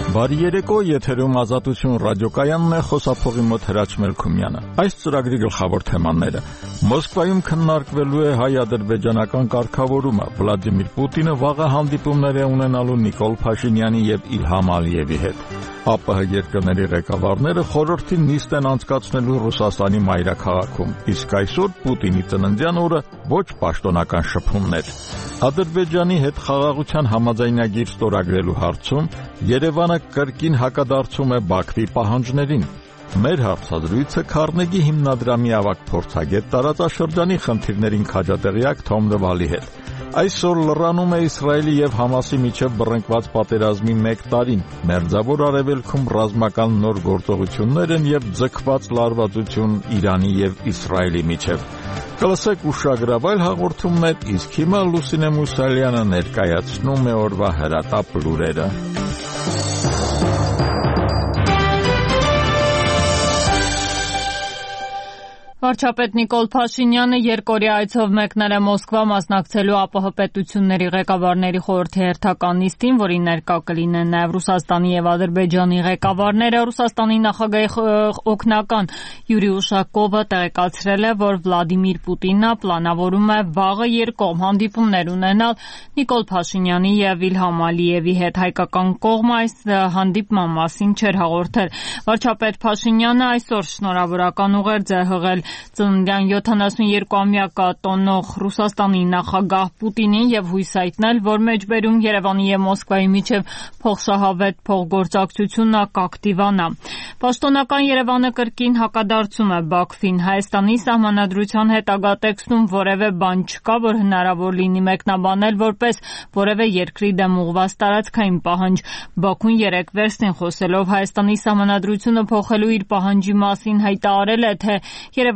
Բարի երեկո, եթերում Ազատություն ռադիոկայանն է, խոսափողի մոտ Հրաչ Մելքումյանը։ Այս ծրագրի գլխավոր թեմաները. Մոսկվայում քննարկվելու է հայ-ադրբեջանական կարգավորումը, Վլադիմիր Պուտինը վաղը հանդիպումներ է ունենալու Նիկոլ Փաշինյանի եւ Իլհամ Ալիևի հետ։ ԱՊՀ երկրների ղեկավարները խորհրդի նիստ են անցկացնելու Ռուսաստանի մայրաքաղաքում, իսկ այսօր Պուտինի ծննդյան օրը ոչ պաշտոնական շփումներ։ Ադրբեջանի հետ խաղաղության համաձայնագիր ստորագրելու հարցում Երևանը կրկին հակադարձում է Բաքվի պահանջներին։ Մեր հարցազրույցը Քարնեգի հիմնադրամի ավագ փորձագետ տարածաշրջանի խնդիրներին քաջատեղյակ Թոմ Դվալի հետ։ Այսօր լրանում է Իսրայելի եւ Համասի միջև բռնկված պատերազմի 1 տարին։ Մերձավոր Արևելքում ռազմական նոր գործողություններ են եւ ձգված լարվածություն Իրանի եւ Իսրայելի միջև։ Կլսեք ուշագրավայր հաղորդումներ, իսկ հիմա Լուսինե Մուսալյանը ներկայացնում է օրվա հրատապ լուրերը։ Վարչապետ Նիկոլ Փաշինյանը երկօրյա այցով մեկնել է Մոսկվա մասնակցելու ԱՊՀ պետությունների ղեկավարների խորհրդի հերթական նիստին, որին ներկա կլինեն նաև Ռուսաստանի եւ Ադրբեջանի ղեկավարները։ Ռուսաստանի նախագահի օգնական Յուրի Ուշակովը տեղեկացրել է, որ Վլադիմիր Պուտինը պլանավորում է վաղը երկկողմ հանդիպումներ ունենալ Նիկոլ Փաշինյանի եւ Իլհամ Ալիևի հետ։ Հայկական կողմը այս հանդիպման մասին չէր հաղորդել։ Վարչապետ Փաշինյանը այսօր շնորհավորական ուղերձ է հղել ծննդյան 72-ամյակը տոնող Ռուսաստանի նախագահ Պուտինին եւ հույս հայտնել, որ մեջբերում Երևանի եւ Մոսկվայի միջև փոխշահավետ փոխգործակցությունը կակտիվանա։ Պաշտոնական Երևանը կրկին հակադարձում է Բաքվին։ Հայաստանի սահմանադրության հետագա տեքստում որևէ բան չկա, որ հնարավոր լինի մեկնաբանել որպես որևէ երկրի դեմ ուղղված տարածքային պահանջ։ Բաքուն երեկ վերստին խոսելով Հայաստանի սահմանադրությունը փոխելու իր պահանջի մասին հայտարարել է, թե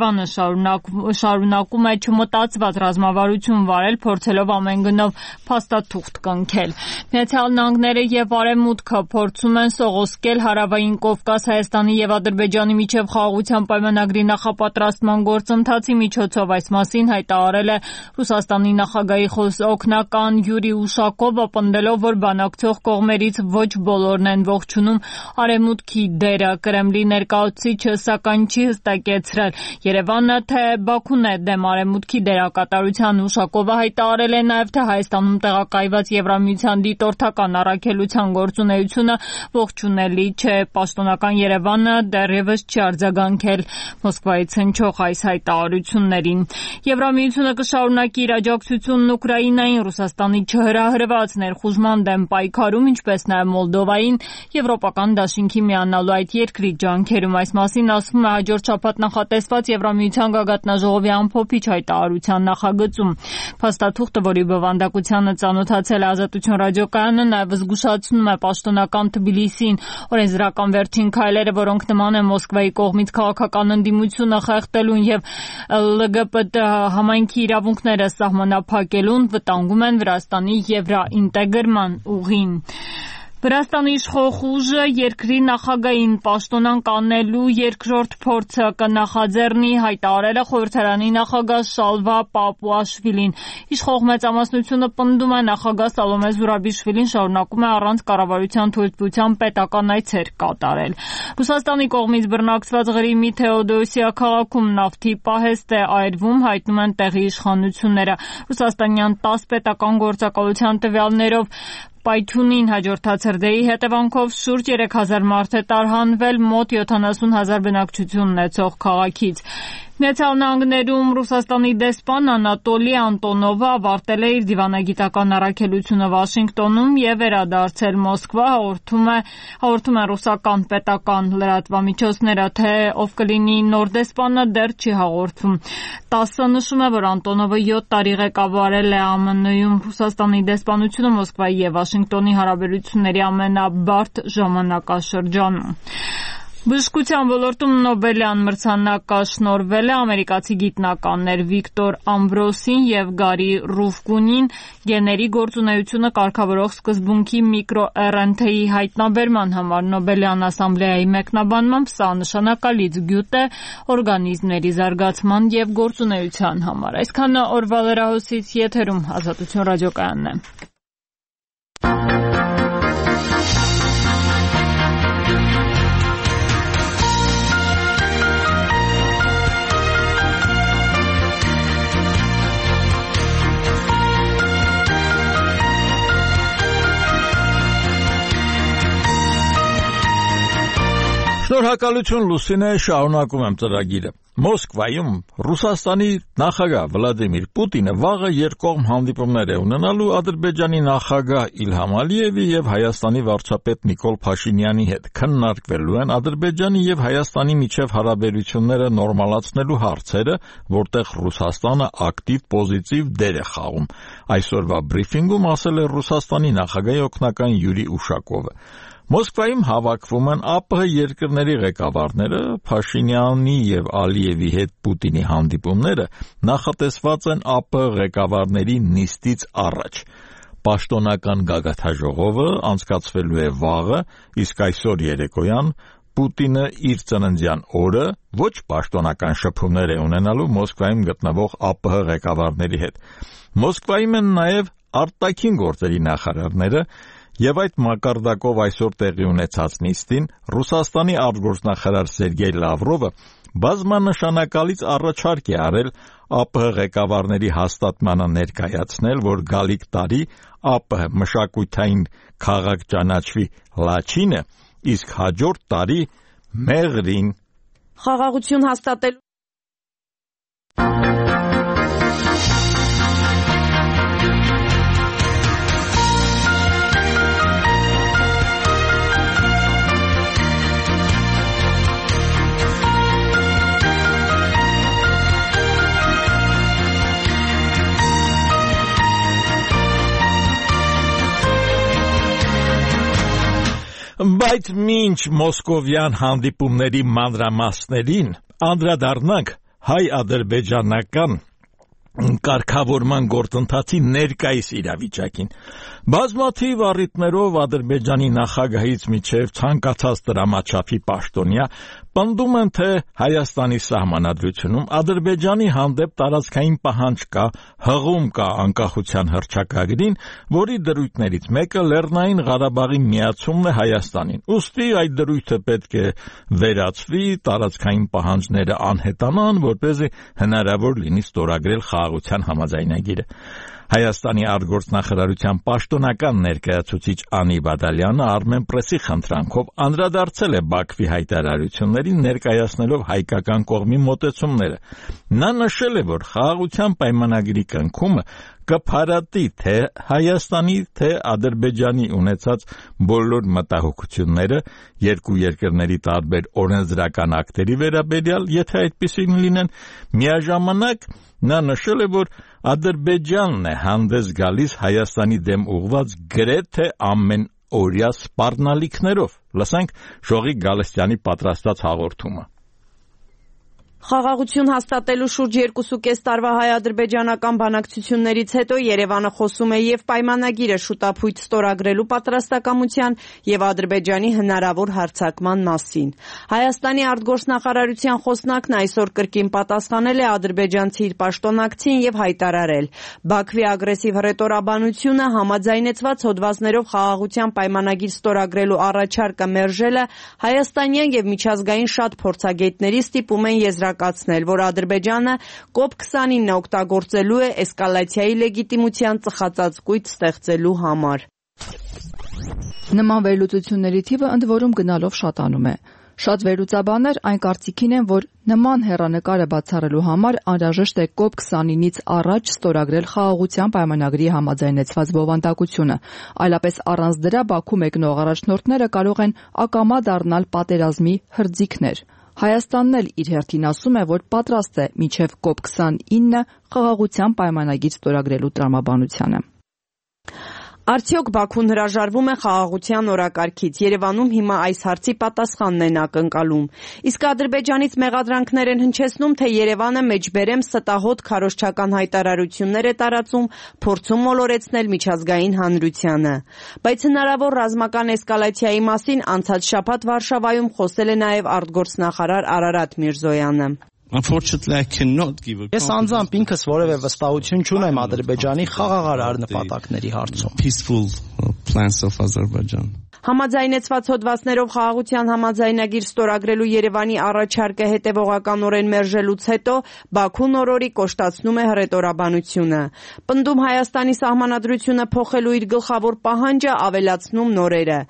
Երևանը շարունակում է չմտածված ռազմավարություն վարել, փորձելով ամեն գնով փաստաթուղթ կնքել։ Միացյալ Նահանգները եւ Արևմուտքը փորձում են սողոսկել Հարավային Կովկաս Հայաստանի եւ Ադրբեջանի միջև խաղաղության պայմանագրի նախապատրաստման գործընթացի միջոցով։ Այս մասին հայտարարել է Ռուսաստանի նախագահի օգնական Յուրի Ուշակովը, պնդելով, որ բանակցող կողմերից ոչ բոլորն են ողջունում Արևմուտքի դերը։ Կրեմլի ներկայացուցիչը սակայն չի հստակեցրել Երևանը, թե Բաքուն է դեմ Արևմուտքի դերակատարության։ Ուշակովը հայտարարել է նաև, թե Հայաստանում տեղակայված Եվրամիության դիտորդական առաքելության գործունեությունը ողջունելի չէ։ Պաշտոնական Երևանը դեռևս չի արձագանքել Մոսկվայից հնչող այս հայտարարություններին։ Եվրամիությունը կշարունակի իր աջակցությունն Ուկրաինային Ռուսաստանի չհրահրված ներխուժման դեմ պայքարում, ինչպես նաև Մոլդովային եվրոպական դաշինքի միանալու այդ երկրի ջանքերում։ Այս մասին ասվում է հաջորդ շաբաթ նախատեսված Եվրամիության գագաթնաժողովի ամփոփիչ հայտարարության նախագծում։ Փաստաթուղթը, որի բովանդակությանը ծանոթացել է Ազատություն ռադիոկայանը, նաև զգուշացնում է պաշտոնական Թբիլիսին օրենսդրական վերջին քայլերը, որոնք նման են Մոսկվայի կողմից քաղաքական ընդդիմությունը խեղդելուն եւ ԼԳԲՏ համայնքի իրավունքները սահմանափակելուն, վտանգում են Վրաստանի եվրաինտեգրման ուղին։ Վրաստանի իշխող ուժը երկրի նախագահին պաշտոնանկ անելու երկրորդ փորձը կնախաձեռնի, հայտարարել է խորհրդարանի նախագահ Շալվա Պապուաշվիլին։ Իշխող մեծամասնությունը պնդում է նախագահ Սալոմե Զուրաբիշվիլին շարունակում է առանց կառավարության թույլտվության պետական այցեր կատարել։ Ռուսաստանի կողմից բռնակցված Ղրիմի Թեոդոսիա քաղաքում նավթի պահեստ է այրվում, հայտնում են տեղի իշխանությունները։ Ռուսաստանյան 10 պետական գործակալության տվյալներով Պայթյունին հաջորդած հրդեհի հետևանքով շուրջ 3000 մարդ է տարհանվել մոտ 70,000 բնակչություն ունեցող քաղաքից։ Միացյալ Նահանգներում Ռուսաստանի դեսպան Անատոլի Անտոնովը ավարտել է իր դիվանագիտական առաքելությունը Վաշինգտոնում եւ վերադարձել Մոսկվա, հաղորդում է ռուսական պետական լրատվամիջոցները, թե ով կլինի նոր դեսպանը դեռ չի հաղորդվում։ ՏԱՍՍ-ը նշում է, որ Անտոնովը 7 տարի ղեկավարել է ԱՄՆ-ում Ռուսաստանի դեսպանությունը Մոսկվայի եւ Վաշինգտոնի հարաբերությունների ամենաբարդ ժամանակաշրջանում։ Բժշկության ոլորտում Նոբելյան մրցանակը շնորհվել է ամերիկացի գիտնականներ Վիկտոր Ամբրոսին եւ Գարի Ռուֆկունին գեների գործունեությունը կարգավորող սկզբունքի միկրոRNA-ի հայտնաբերման համար։ Նոբելյան ասամբլեայի մեկնաբանմամբ սա նշանակալից գյուտ է օրգանիզմների զարգացման եւ գործունեության համար։ Այսքանը օրվա լրահոսից, եթերում Ազատություն ռադիոկայանն է։ Շնորհակալություն Լուսինե, շարունակում եմ ծրագիրը։ Մոսկվայում Ռուսաստանի նախագահ Վլադիմիր Պուտինը վաղը երկկողմ հանդիպումներ է ունենալու Ադրբեջանի նախագահ Իլհամ Ալիևի եւ Հայաստանի վարչապետ Նիկոլ Փաշինյանի հետ։ Քննարկվելու են Ադրբեջանի եւ Հայաստանի միջև հարաբերությունները նորմալացնելու հարցերը, որտեղ Ռուսաստանը ակտիվ պոզիտիվ դեր է խաղում։ Այսօրվա բրիֆինգում ասել է Ռուսաստանի նախագահի օգնական Յուրի Ուշակովը։ Մոսկվայում հավաքվում են ԱՊՀ երկրների ղեկավարները, Փաշինյանի եւ Ալիևի հետ Պուտինի հանդիպումները նախատեսված են ԱՊՀ ղեկավարների նիստից առաջ։ Պաշտոնական գագաթաժողովը անցկացվելու է վաղը, իսկ այսօր երեկոյան Պուտինը իր ծննդյան օրը ոչ պաշտոնական շփումներ է ունենալու Մոսկվայում գտնվող ԱՊՀ ղեկավարների հետ։ Մոսկվայում են նաեւ արտաքին գործերի նախարարները Եվ այդ մակարդակով այսօր տեղի ունեցած նիստին Ռուսաստանի արտգործնախարար Սերգեյ Լավրովը բազմանշանակալից առաջարկ է արել ԱՊՀ ղեկավարների հաստատմանը ներկայացնել, որ գալիք տարի ԱՊՀ մշակութային քաղաք ճանաչվի Լաչինը, իսկ հաջորդ տարի Մեղրին։ Խաղաղություն հաստատելու Բայց մինչ մոսկովյան հանդիպումների մանրամասներին անդրադառնանք հայ-ադրբեջանական կարգավորման գործընթացի ներկայիս իրավիճակին։ Բազմաթիվ առիթներով Ադրբեջանի նախագահից մինչև ցանկացած դրամաչափի պաշտոնյա պնդում են, թե Հայաստանի սահմանադրությունում Ադրբեջանի հանդեպ տարածքային պահանջ կա, հղում կա անկախության հռչակագրին, որի դրույթներից մեկը Լեռնային Ղարաբաղի միացումն է Հայաստանին։ Ուստի այդ դրույթը պետք է վերացվի, տարածքային պահանջները անհետանան, որպեսզի հնարավոր լինի ստորագրել խաղաղության համաձայնագիրը։ Հայաստանի արտգործնախարարության պաշտոնական ներկայացուցիչ Անի Բադալյանը Armenpress-ի խնդրանքով անդրադարձել է Բաքվի հայտարարություններին, ներկայացնելով հայկական կողմի մոտեցումները։ Նա նշել է, որ խաղաղության պայմանագրի կնքումը կփարատի թե Հայաստանի, թե Ադրբեջանի ունեցած բոլոր մտահոգությունները երկու երկրների տարբեր օրենսդրական ակտերի վերաբերյալ, եթե այդպիսին լինեն, միաժամանակ նա նշել է, որ Ադրբեջանն է հանդես գալիս Հայաստանի դեմ ուղղված գրեթե ամենօրյա սպառնալիքներով։ Լսենք Ժողիկ Գալստյանի պատրաստած հաղորդումը։ Խաղաղություն հաստատելու շուրջ 2.5 տարվա հայ-ադրբեջանական բանակցություններից հետո Երևանը խոսում է եւ պայմանագիրը շուտապույտ ստորագրելու պատրաստակամության եւ Ադրբեջանի հնարավոր հարձակման մասին։ Հայաստանի արտգործնախարարության խոսնակն այսօր կրկին պատասխանել է ադրբեջանցի իր պաշտոնակցին եւ հայտարարել. Բաքվի ագրեսիվ հռետորաբանությունը համաձայնեցված հոդվածներով խաղաղության պայմանագիր ստորագրելու առաջարկը մերժելը հայաստանյան եւ միջազգային շատ փորձագետների ստիպում են եզրակացնել, որ Ադրբեջանը COP29-ը օգտագործելու է էսկալացիայի լեգիտիմության ծխածածկույթ ստեղծելու համար։ Նման վերլուծությունների թիվը ընդ որում գնալով շատանում է։ Շատ վերլուծաբաններ այն կարծիքին են, որ նման հեռանկարը բացառելու համար անհրաժեշտ է COP29-ից առաջ ստորագրել խաղաղության պայմանագրի համաձայնեցված բովանդակությունը, այլապես առանց դրա Բաքու մեկնող առաջնորդները կարող են ակամա դառնալ պատերազմի հրձիգներ։ Հայաստանն էլ իր հերթին ասում է, որ պատրաստ է մինչև COP29 խաղաղության պայմանագիր ստորագրելու տրամաբանությանը։ Արդյոք Բաքուն հրաժարվում է խաղաղության օրակարգից։ Երևանում հիմա այս հարցի պատասխանն են ակնկալում։ Իսկ Ադրբեջանից մեղադրանքներ են հնչեցնում, թե Երևանը մեջբերեմ ստահոդ քարոզչական հայտարարություններ է տարածում, փորձում մոլորեցնել միջազգային հանրությանը։ Բայց հնարավոր ռազմական էսկալացիայի մասին անցած շաբաթ Վարշավայում խոսել է նաև արտգործնախարար Արարատ Միրզոյանը։ Ես անձամբ ինքս որևէ վստահություն չունեմ Ադրբեջանի խաղաղարար նպատակների հարցում։ Համաձայնեցված հոդվածներով խաղաղության համաձայնագիր ստորագրելու Երևանի առաջարկը հետևողականորեն մերժելուց հետո Բաքուն օրորի կոշտացնում է հռետորաբանությունը։ Պնդում Հայաստանի սահմանադրությունը փոխելու իր գլխավոր պահանջը ավելացնում նորերը։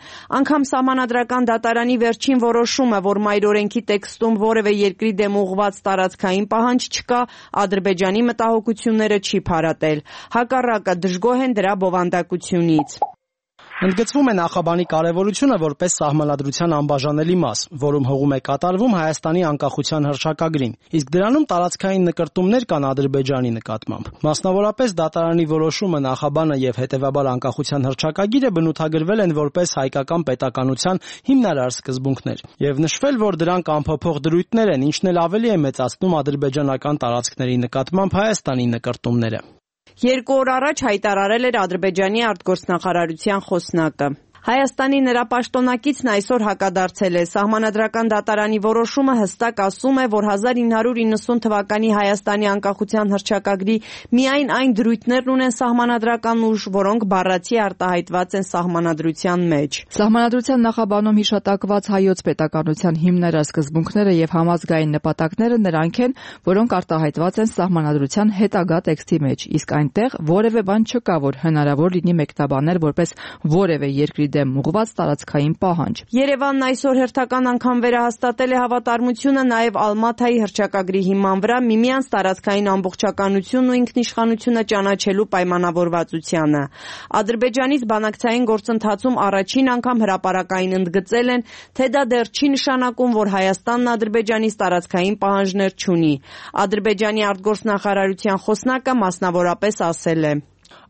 Անգամ սահմանադրական դատարանի վերջին որոշումը, որ մայրօրենքի տեքստում որևէ երկրի դեմ ուղղված տարածքային պահանջ չկա, Ադրբեջանի մտահոգությունները չի փարատել։ Հակառակը դժգոհ են դրա բովանդակությունից։ Ընդգծվում է նախաբանի կարևորությունը որպես սահմանադրության անբաժանելի մաս, որում հողում է կատարվում Հայաստանի անկախության հռչակագրին, իսկ դրանում տարածքային նկրտումներ կան Ադրբեջանի նկատմամբ։ Մասնավորապես դատարանի որոշումը, նախաբանը եւ հետեւաբար անկախության հռչակագիրը բնութագրվել են որպես հայկական պետականության հիմնարար սկզբունքներ եւ նշվել, որ դրանք անփոփոխ դրույթներ են, ինչն էլ ավելի է մեծացնում ադրբեջանական տարածքների նկատմամբ Հայաստանի նկրտումները։ 2 օր առաջ հայտարարել էր Ադրբեջանի արտգործնախարարության խոսնակը։ Հայաստանի նրա պաշտոնակիցն այսօր հակադարձել է։ Սահմանադրական դատարանի որոշումը հստակ ասում է, որ 1990 թվականի Հայաստանի անկախության հռչակագրի միայն այն դրույթներն ունեն սահմանադրական ուժ, որոնք բառացի արտահայտված են սահմանադրության մեջ։ Սահմանադրության նախաբանում հիշատակված հայոց պետականության հիմնարար սկզբունքները եւ համազգային նպատակները նրանք են, որոնք արտահայտված են սահմանադրության հետագա տեքստի մեջ, իսկ այնտեղ որևէ բան չկա, որ հնարավոր լինի մեկնաբանել որպես որևէ երկրի դեմ ուղղված տարածքային պահանջ։ Երևանն այսօր հերթական անգամ վերահաստատել է հավատարմությունը նաև Ալմաթայի հռչակագրի հիման վրա միմյանց տարածքային ամբողջականությունն ու ինքնիշխանությունը ճանաչելու պայմանավորվածությանը։ Ադրբեջանից բանակցային գործընթացում առաջին անգամ հրապարակային ընդգծել են, թե դա դեռ չի նշանակում, որ Հայաստանն Ադրբեջանից տարածքային պահանջներ չունի։ Ադրբեջանի արտգործնախարարության խոսնակը մասնավորապես ասել է.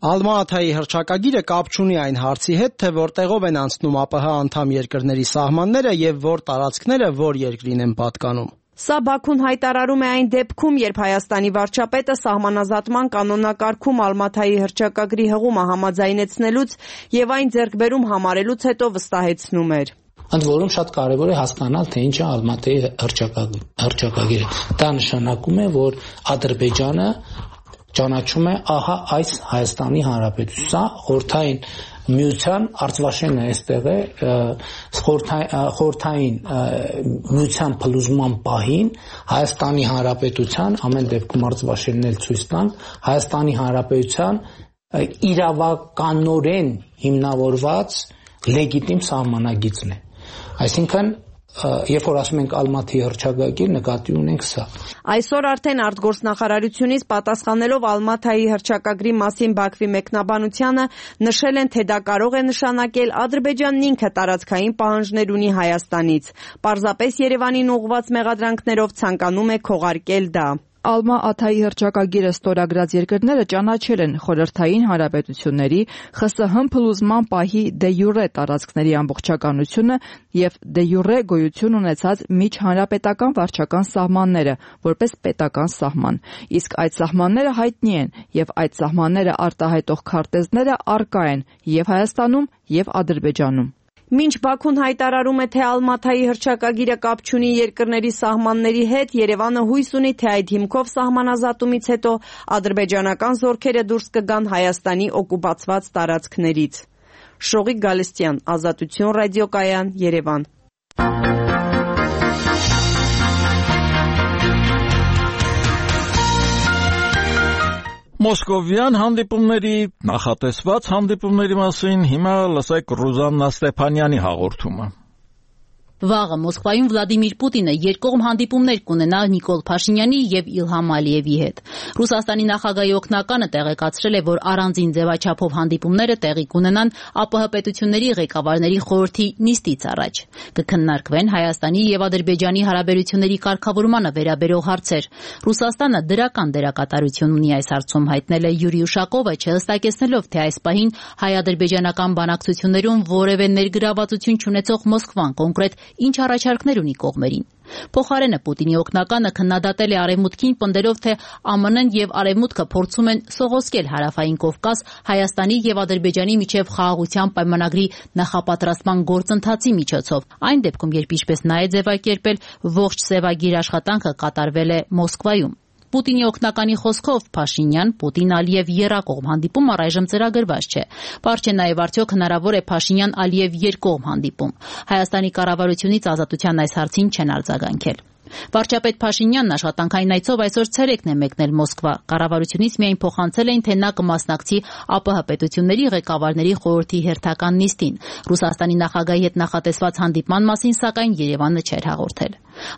Ալմաթայի հռչակագիրը կապ չունի այն հարցի հետ, թե որտեղով են անցնում ԱՊՀ անդամ երկրների սահմանները եւ որ տարածքները որ երկրին են պատկանում։ Սա Բաքուն հայտարարում է այն դեպքում, երբ Հայաստանի վարչապետը սահմանազատման կանոնակարգում Ալմաթայի հռչակագրի հղումը համաձայնեցնելուց եւ այն ձեռքբերում համարելուց հետո վստահեցնում էր. Ընդ որում շատ կարևոր է հասկանալ, թե ինչ է Ալմաթայի հռչակագիրը։ Դա նշանակում է, որ Ադրբեջանը ճանաչում է ահա այս Հայաստանի Հանրապետությունը, խորհրդային միության արծվաշենն է այստեղ է, խորհրդային միության փլուզման պահին Հայաստանի Հանրապետության, ամեն դեպքում արծվաշենն էլ ցույց տան, Հայաստանի Հանրապետության իրավականորեն հիմնավորված լեգիտիմ սահմանագիծն է։ Այսինքն Երբ որ ասում ենք Ալմաթի հռչակագիր, նկատի ունենք սա։ Այսօր արդեն արտգործնախարարությունից պատասխանելով Ալմաթայի հռչակագրի մասին Բաքվի մեկնաբանությանը նշել են, թե դա կարող է նշանակել Ադրբեջանն ինքը տարածքային պահանջներ ունի Հայաստանից։ Պարզապես Երևանին ուղղված մեղադրանքներով ցանկանում է քողարկել դա։ Ալմա-Աթայի հռչակագիրը ստորագրած երկրները ճանաչել են խորհրդային հանրապետությունների ԽՍՀՄ փլուզման պահի դե յուրե տարածքների ամբողջականությունը եւ դե յուրե գոյություն ունեցած միջհանրապետական վարչական սահմանները որպես պետական սահման։ Իսկ այդ սահմանները հայտնի են եւ այդ սահմանները արտահայտող քարտեզները առկա են եւ Հայաստանում եւ Ադրբեջանում։ Մինչ Բաքուն հայտարարում է, թե Ալմաթայի հռչակագիրը կապ չունի երկրների սահմանների հետ, Երևանը հույս ունի, թե այդ հիմքով սահմանազատումից հետո ադրբեջանական զորքերը դուրս կգան Հայաստանի օկուպացված տարածքներից։ Շողիկ Գալստյան, Ազատություն ռադիոկայան, Երևան։ Մոսկովյան հանդիպումների նախատեսված հանդիպումների մասին հիմա լսեք Ռուզաննա Ստեփանյանի հաղորդումը։ Վաղը Մոսկվայում Վլադիմիր Պուտինը երկկողմ հանդիպումներ կունենա Նիկոլ Փաշինյանի եւ Իլհամ Ալիևի հետ։ Ռուսաստանի նախագահի օգնականը տեղեկացրել է, որ առանձին ձևաչափով հանդիպումները տեղի կունենան ԱՊՀ պետությունների ղեկավարների խորհրդի նիստից առաջ։ Կքննարկվեն Հայաստանի եւ Ադրբեջանի հարաբերությունների կարգավորմանը վերաբերող հարցեր։ Ռուսաստանը դրական դերակատարություն ունի այս հարցում, հայտնել է Յուրի Ուշակովը, չհստակեցնելով, թե այս պահին հայ-ադրբեջանական բանակցություններում որևէ ներգրավվածություն չունեցող Մոսկվան կոնկրետ ինչ առաջարկներ ունի կողմերին։ Փոխարենը Պուտինի օգնականը քննադատել է Արևմուտքին, պնդելով, թե ԱՄՆ-ն եւ Արևմուտքը փորձում են սողոսկել Հարավային Կովկաս Հայաստանի եւ Ադրբեջանի միջև խաղաղության պայմանագրի նախապատրաստման գործընթացի միջոցով։ Այն դեպքում, երբ ինչպես նա է ձևակերպել, ողջ սևագիր աշխատանքը կատարվել է Մոսկվայում։ Պուտինի օգնականի խոսքով Փաշինյան, Պուտին, Ալիև եռակողմ հանդիպում առայժմ ծրագրված չէ։ Պարզ չէ նաև արդյոք հնարավոր է Փաշինյան-Ալիև երկկողմ հանդիպում։ Հայաստանի կառավարությունից Ազատության այս հարցին չեն արձագանքել։ Վարչապետ Փաշինյանն աշխատանքային այցով այսօր ցերեկն է մեկնել Մոսկվա։ Կառավարությունից միայն փոխանցել էին, թե նա կմասնակցի ԱՊՀ պետությունների ղեկավարների խորհրդի հերթական նիստին։ Ռուսաստանի նախագահի հետ նախատեսված հանդիպման մասին, սակայն Երևանը չէր հաղորդել։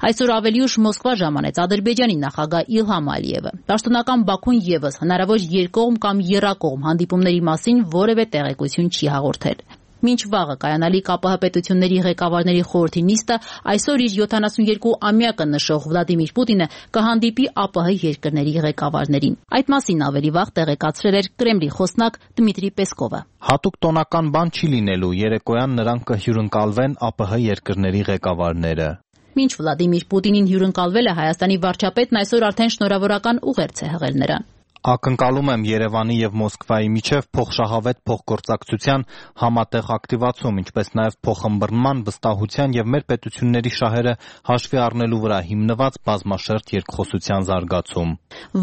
Այսօր ավելի ուշ Մոսկվա ժամանեց Ադրբեջանի նախագահ Իլհամ Ալիևը։ Պաշտոնական Բաքուն ևս հնարավոր երկկողմ կամ եռակողմ հանդիպումների մասին որևէ տեղեկություն չի հաղորդել։ Մինչ վաղը կայանալիք ԱՊՀ պետությունների ղեկավարների խորհրդի նիստը այսօր իր 72-ամյակը նշող Վլադիմիր Պուտինը կհանդիպի ԱՊՀ երկրների ղեկավարներին։ Այդ մասին ավելի վաղ տեղեկացրել էր Կրեմլի խոսնակ Դմիտրի Պեսկովը։ Հատուկ տոնական բան չի լինելու, երեկոյան նրանք կհյուրընկալվեն ԱՊՀ երկրների ղեկավարները։ Մինչ Վլադիմիր Պուտինին հյուրընկալվել է Հայաստանի վարչապետն այսօր արդեն շնորհավորական ուղերձ է հղել նրան։ Ակնկալում եմ Երևանի եւ Մոսկվայի միջև փոխշահավետ փոխգործակցության համատեղ ակտիվացում, ինչպես նաեւ փոխըմբռնման, վստահության եւ մեր պետությունների շահերը հաշվի առնելու վրա հիմնված բազմաշերտ երկխոսության զարգացում։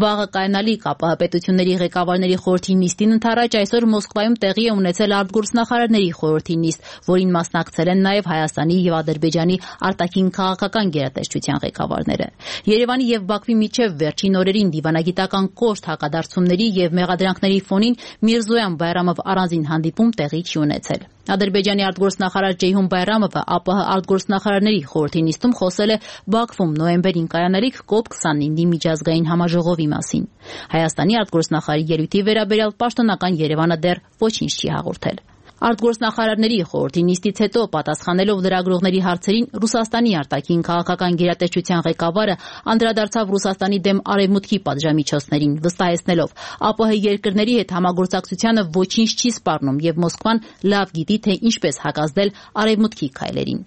Վաղը կայանալիք ԱՊՀ պետությունների ղեկավարների խորհրդի նիստին ընդառաջ այսօր Մոսկվայում տեղի է ունեցել արտգործնախարարների խորհրդի նիստ, որին մասնակցել են նաեւ Հայաստանի եւ Ադրբեջանի արտաքին քաղաքական գերատեսչության ղեկավարները։ Երևանի եւ Բաքվի միջև վերջին օրերին դիվանագիտական կոշտ հակադարձումների եւ մեղադրանքների ֆոնին Միրզոյան Բայրամով առանձին հանդիպում տեղի չի ունեցել։ Ադրբեջանի արտգործնախարար Ջեյհուն Բայրամովը ԱՊՀ արտգործնախարարների խորհրդի նիստում խոսել է Բաքվում նոյեմբերին կայանալիք COP29-ի միջազգային համաժողովի մասին։ Հայաստանի արտգործնախարարի ելույթի վերաբերյալ պաշտոնական Երևանը դեռ ոչինչ չի հաղորդել։ Արտգործնախարարների խորհրդի նիստից հետո պատասխանելով լրագրողների հարցերին Ռուսաստանի արտաքին քաղաքական գերատեսչության ղեկավարը անդրադարձավ Ռուսաստանի դեմ արևմուտքի պատժամիջոցներին, վստահեցնելով ԱՊՀ երկրների հետ համագործակցությանը ոչինչ չի սպառնում եւ Մոսկվան լավ գիտի, թե ինչպես հակազդել արևմուտքի քայլերին։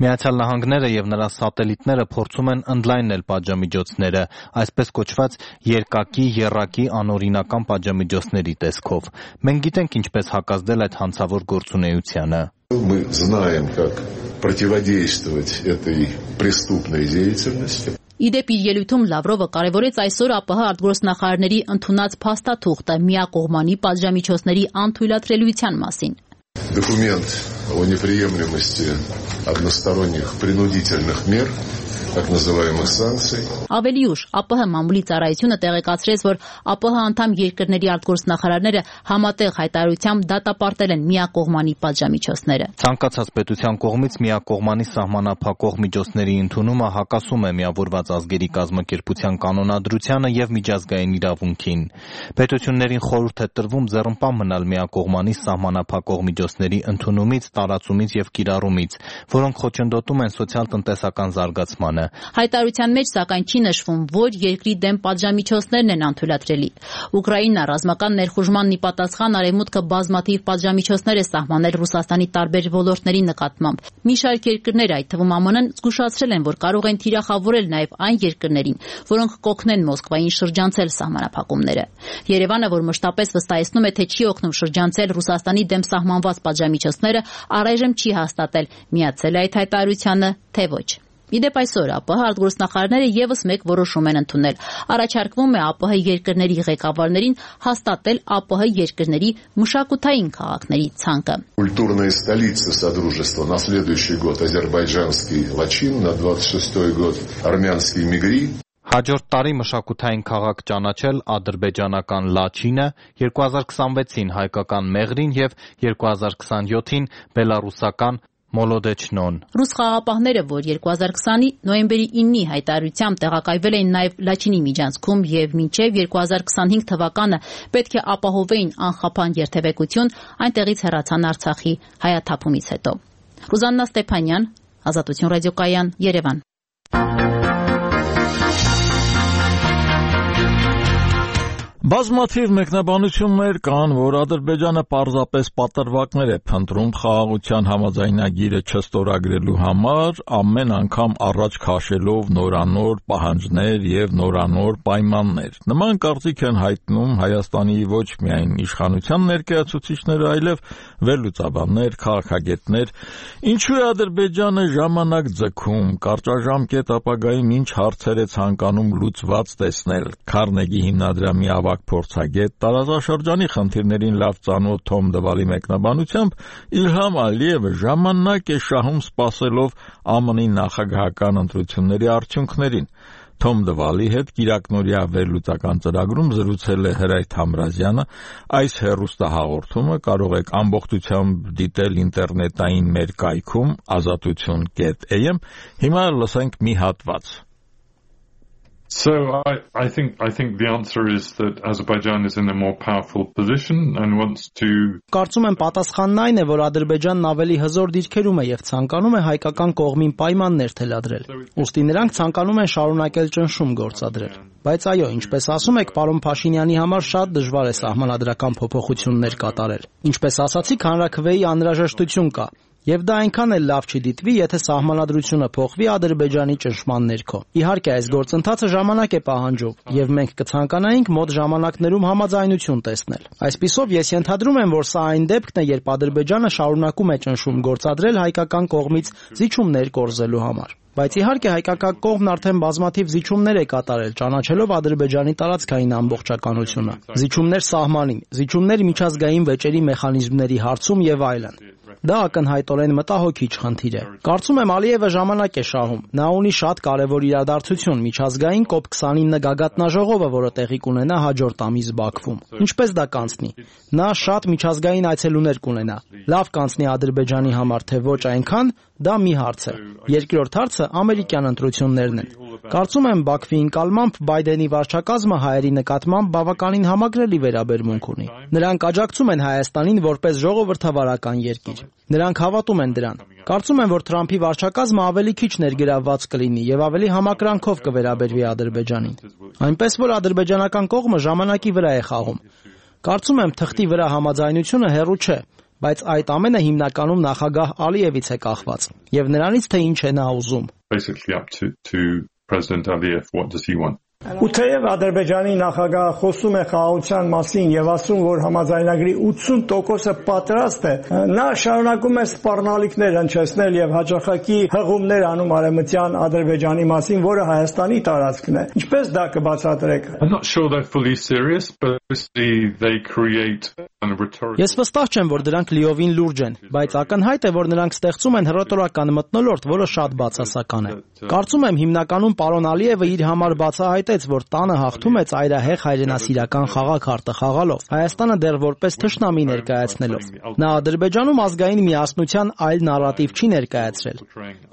Միացյալ Նահանգները եւ նրա սատելիտները փորձում են ընդլայնել պատժամիջոցները, այսպես կոչված երկակի, եռակի, անօրինական պատժամիջոցների տեսքով։ Մենք գիտենք ինչպես հակազդել այդ հանցավոր գործունեությանը։ Мы знаем, как противодействовать этой преступной деятельности. Իդեպ իր ելույթում Լավրովը կարևորեց այսօր ԱՊՀ արտգործնախարարների ընդունած փաստաթուղթը միակողմանի պատժամիջոցների անթույլատրելիության մասին։ Документ о неприемлемости односторонних принудительных мер, так называемых санкций. Ավելի ուշ ԱՊՀ մամուլի ծառայությունը տեղեկացրեց, որ ԱՊՀ անդամ երկրների արտգործնախարարները համատեղ հայտարարությամբ դատապարտել են միակողմանի պատժամիջոցները։ Ցանկացած պետության կողմից միակողմանի սահմանափակող միջոցների ընդունումը հակասում է Միավորված ազգերի կազմակերպության կանոնադրությանը եւ միջազգային իրավունքին։ Պետություններին խորհուրդ է տրվում ձեռնպահ մնալ միակողմանի սահմանափակող միջոցների ընդունումից, տարածումից եւ կիրառումից, որոնք խոչընդոտում են սոցիալ-տնտեսական զարգացմանը։ Հայտարարության մեջ սակայն չի նշվում, որ երկրի դեմ պատժամիջոցներն են անթույլատրելի։ Ուկրաինա ռազմական ներխուժմանն ի պատասխան արևմուտքը բազմաթիվ պատժամիջոցներ է սահմանել Ռուսաստանի տարբեր ոլորտների նկատմամբ։ Մի շարք երկրներ, այդ թվում ԱՄՆ-ն, զգուշացրել են, որ կարող են թիրախավորել նաև այն երկրներին, որոնք կօգնեն Մոսկվային շրջանցել սահմանափակումները։ Երևանը, որ մշտապես վստահեցնում է, թե չի օգնում շրջանցել Ռուսաստանի դեմ սահմանված պատժամիջոցները, առայժմ չի հաստատել միացել է այդ հայտարարությանը, թե ոչ։ Իդեպ այսօր ԱՊՀ արտգործնախարարները եւս մեկ որոշում են ընդունել։ Առաջարկվում է ԱՊՀ երկրների ղեկավարներին հաստատել ԱՊՀ երկրների մշակութային քաղաքների ցանկը։ Культурная столица Содружества на следующий год азербайджанский Лачин, на 26-й год армянский Мигри. Հաջորդ տարի մշակութային քաղաք ճանաչել ադրբեջանական Լաչինը, 2026-ին հայկական Մեղրին եւ 2027-ին բելարուսական Մոլոդեչնոն։ Ռուս խաղապահները, որ 2020-ի նոյեմբերի 9-ի հայտարարությամբ տեղակայվել էին նաև Լաչինի միջանցքում եւ մինչեւ 2025 թվականը պետք է ապահովեին անխափան երթևեկություն, այնտեղից հեռացան Արցախի հայաթափումից հետո։ Ռուզաննա Ստեփանյան, Ազատություն ռադիոկայան, Երևան։ Բազմաթիվ մեկնաբանություններ կան, որ Ադրբեջանը պարզապես պատրվակներ է փնտրում խաղաղության համաձայնագիրը չստորագրելու համար, ամեն անգամ առաջ քաշելով նորանոր պահանջներ եւ նորանոր պայմաններ։ Նման կարծիք են հայտնում Հայաստանի ոչ միայն իշխանության ներկայացուցիչները, այլև վերլուծաբաններ, քաղաքագետներ։ Ինչու է Ադրբեջանը ժամանակ ձգում, կարճաժամկետ ապագայում ինչ հարցեր է ցանկանում լուծված տեսնել։ Քարնեգի հիմնադրամի փորձագետ տարածաշրջանի խնդիրներին լավ ծանոթ Թոմ Դվալի մեկնաբանությամբ Իլհամ Ալիևը ժամանակ է շահում սպասելով ԱՄՆ-ի նախագահական ընտրությունների արդյունքներին։ Թոմ Դվալի հետ գիրակնօրյա վերլուծական ծրագրում զրուցել է Հրայր Թամրազյանը։ Այս հեռուստահաղորդումը կարող եք ամբողջությամբ դիտել ինտերնետային մեր կայքում azatutun.am։ Հիմա լսենք մի հատված։ So I think the answer is that Azerbaijan is in a more powerful position and wants to. Կարծում եմ պատասխանն այն է, որ Ադրբեջանն ավելի հզոր դիրքերում է եւ ցանկանում է հայկական կողմին պայմաններ թելադրել։ Ուստի նրանք ցանկանում են շարունակել ճնշում գործադրել։ Բայց այո, ինչպես ասում եք, պարոն Փաշինյանի համար շատ դժվար է սահմանադրական փոփոխություններ կատարել։ Ինչպես ասացիք, հանրաքվեի անհրաժեշտություն կա։ Եվ դա այնքան էլ լավ չի դիտվի, եթե սահմանադրությունը փոխվի Ադրբեջանի ճնշման ներքո։ Իհարկե, այս գործընթացը ժամանակ է պահանջում, եւ մենք կցանկանայինք մոտ ժամանակներում համաձայնություն տեսնել։ Այսպիսով, ես ենթադրում եմ, որ սա այն դեպքն է, երբ Ադրբեջանը շարունակում է ճնշում գործադրել հայկական կողմից զիջումներ կորզելու համար։ Բայց իհարկե հայկական կողմն արդեն բազմաթիվ զիջումներ է կատարել, ճանաչելով Ադրբեջանի տարածքային ամբողջականությունը։ Զիջումներ սահմանին, զիջումներ միջազգային վեճերի մեխանիզմների հարցում եւ այլն։ Դա ակնհայտորեն մտահոգիչ խնդիր է։ Կարծում եմ Ալիևը ժամանակ է շահում։ Նա ունի շատ կարևոր իրադարձություն՝ միջազգային COP29 գագաթնաժողովը, որը տեղի կունենա հաջորդ ամիս Բաքվում։ Ինչպես դա կանցնի։ Նա շատ միջազգային այցելուներ կունենա։ Լավ կանցնի Ադրբեջանի համար, թե ոչ այնքան, դա մի հարց է։ Երկրորդ հարցը ամերիկյան ընտրություններն են։ Կարծում եմ Բաքվի ընկալմամբ Բայդենի վարչակազմը հայերի նկատմամբ բավականին համակրելի վերաբերմունք ունի։ Նրանք աջակցում են Հայաստանին որպես ժողովրդավարական երկիր։ Նրանք հավատում են դրան։ Կարծում եմ, որ Թրամփի վարչակազմը ավելի քիչ ներգրավված կլինի եւ ավելի համակրանքով կվերաբերվի Ադրբեջանին։ Այնպես որ ադրբեջանական կողմը ժամանակի վրա է խաղում։ Կարծում եմ թղթի վրա համաձայնությունը հեռու չէ, բայց այդ ամենը հիմնականում նախագահ Ալիևից է կախված եւ նրանից թե ինչ է նա ուզում։ Basically up to President Aliyev, what does he want? Ու թեև Ադրբեջանի նախագահը խոսում է խաղաղության մասին եւ ասում, որ համաձայնագրի 80%-ը պատրաստ է, նա շարունակում է սպառնալիքներ հնչեցնել եւ հաջողակի հղումներ անում արևմտյան Ադրբեջանի մասին, որը Հայաստանի տարածքն է։ Ինչպես դա կբացատրեք։ I'm not sure they're fully serious, but they create a rhetoric. Ես վստահ չեմ, որ դրանք լիովին լուրջ են, բայց ակնհայտ է, որ նրանք ստեղծում են հռետորական մթնոլորտ, որը շատ բացասական է։ Կարծում եմ հիմնականում պարոն Ալիևը իր համար բացահայտեց, որ տանը հաղթում է ծայրահեղ հայրենասիրական խաղաքարտը խաղալով, Հայաստանը դեռ որպես թշնամի ներկայացնելով։ Նա Ադրբեջանում ազգային միասնության այլ նարատիվ չի ներկայացրել։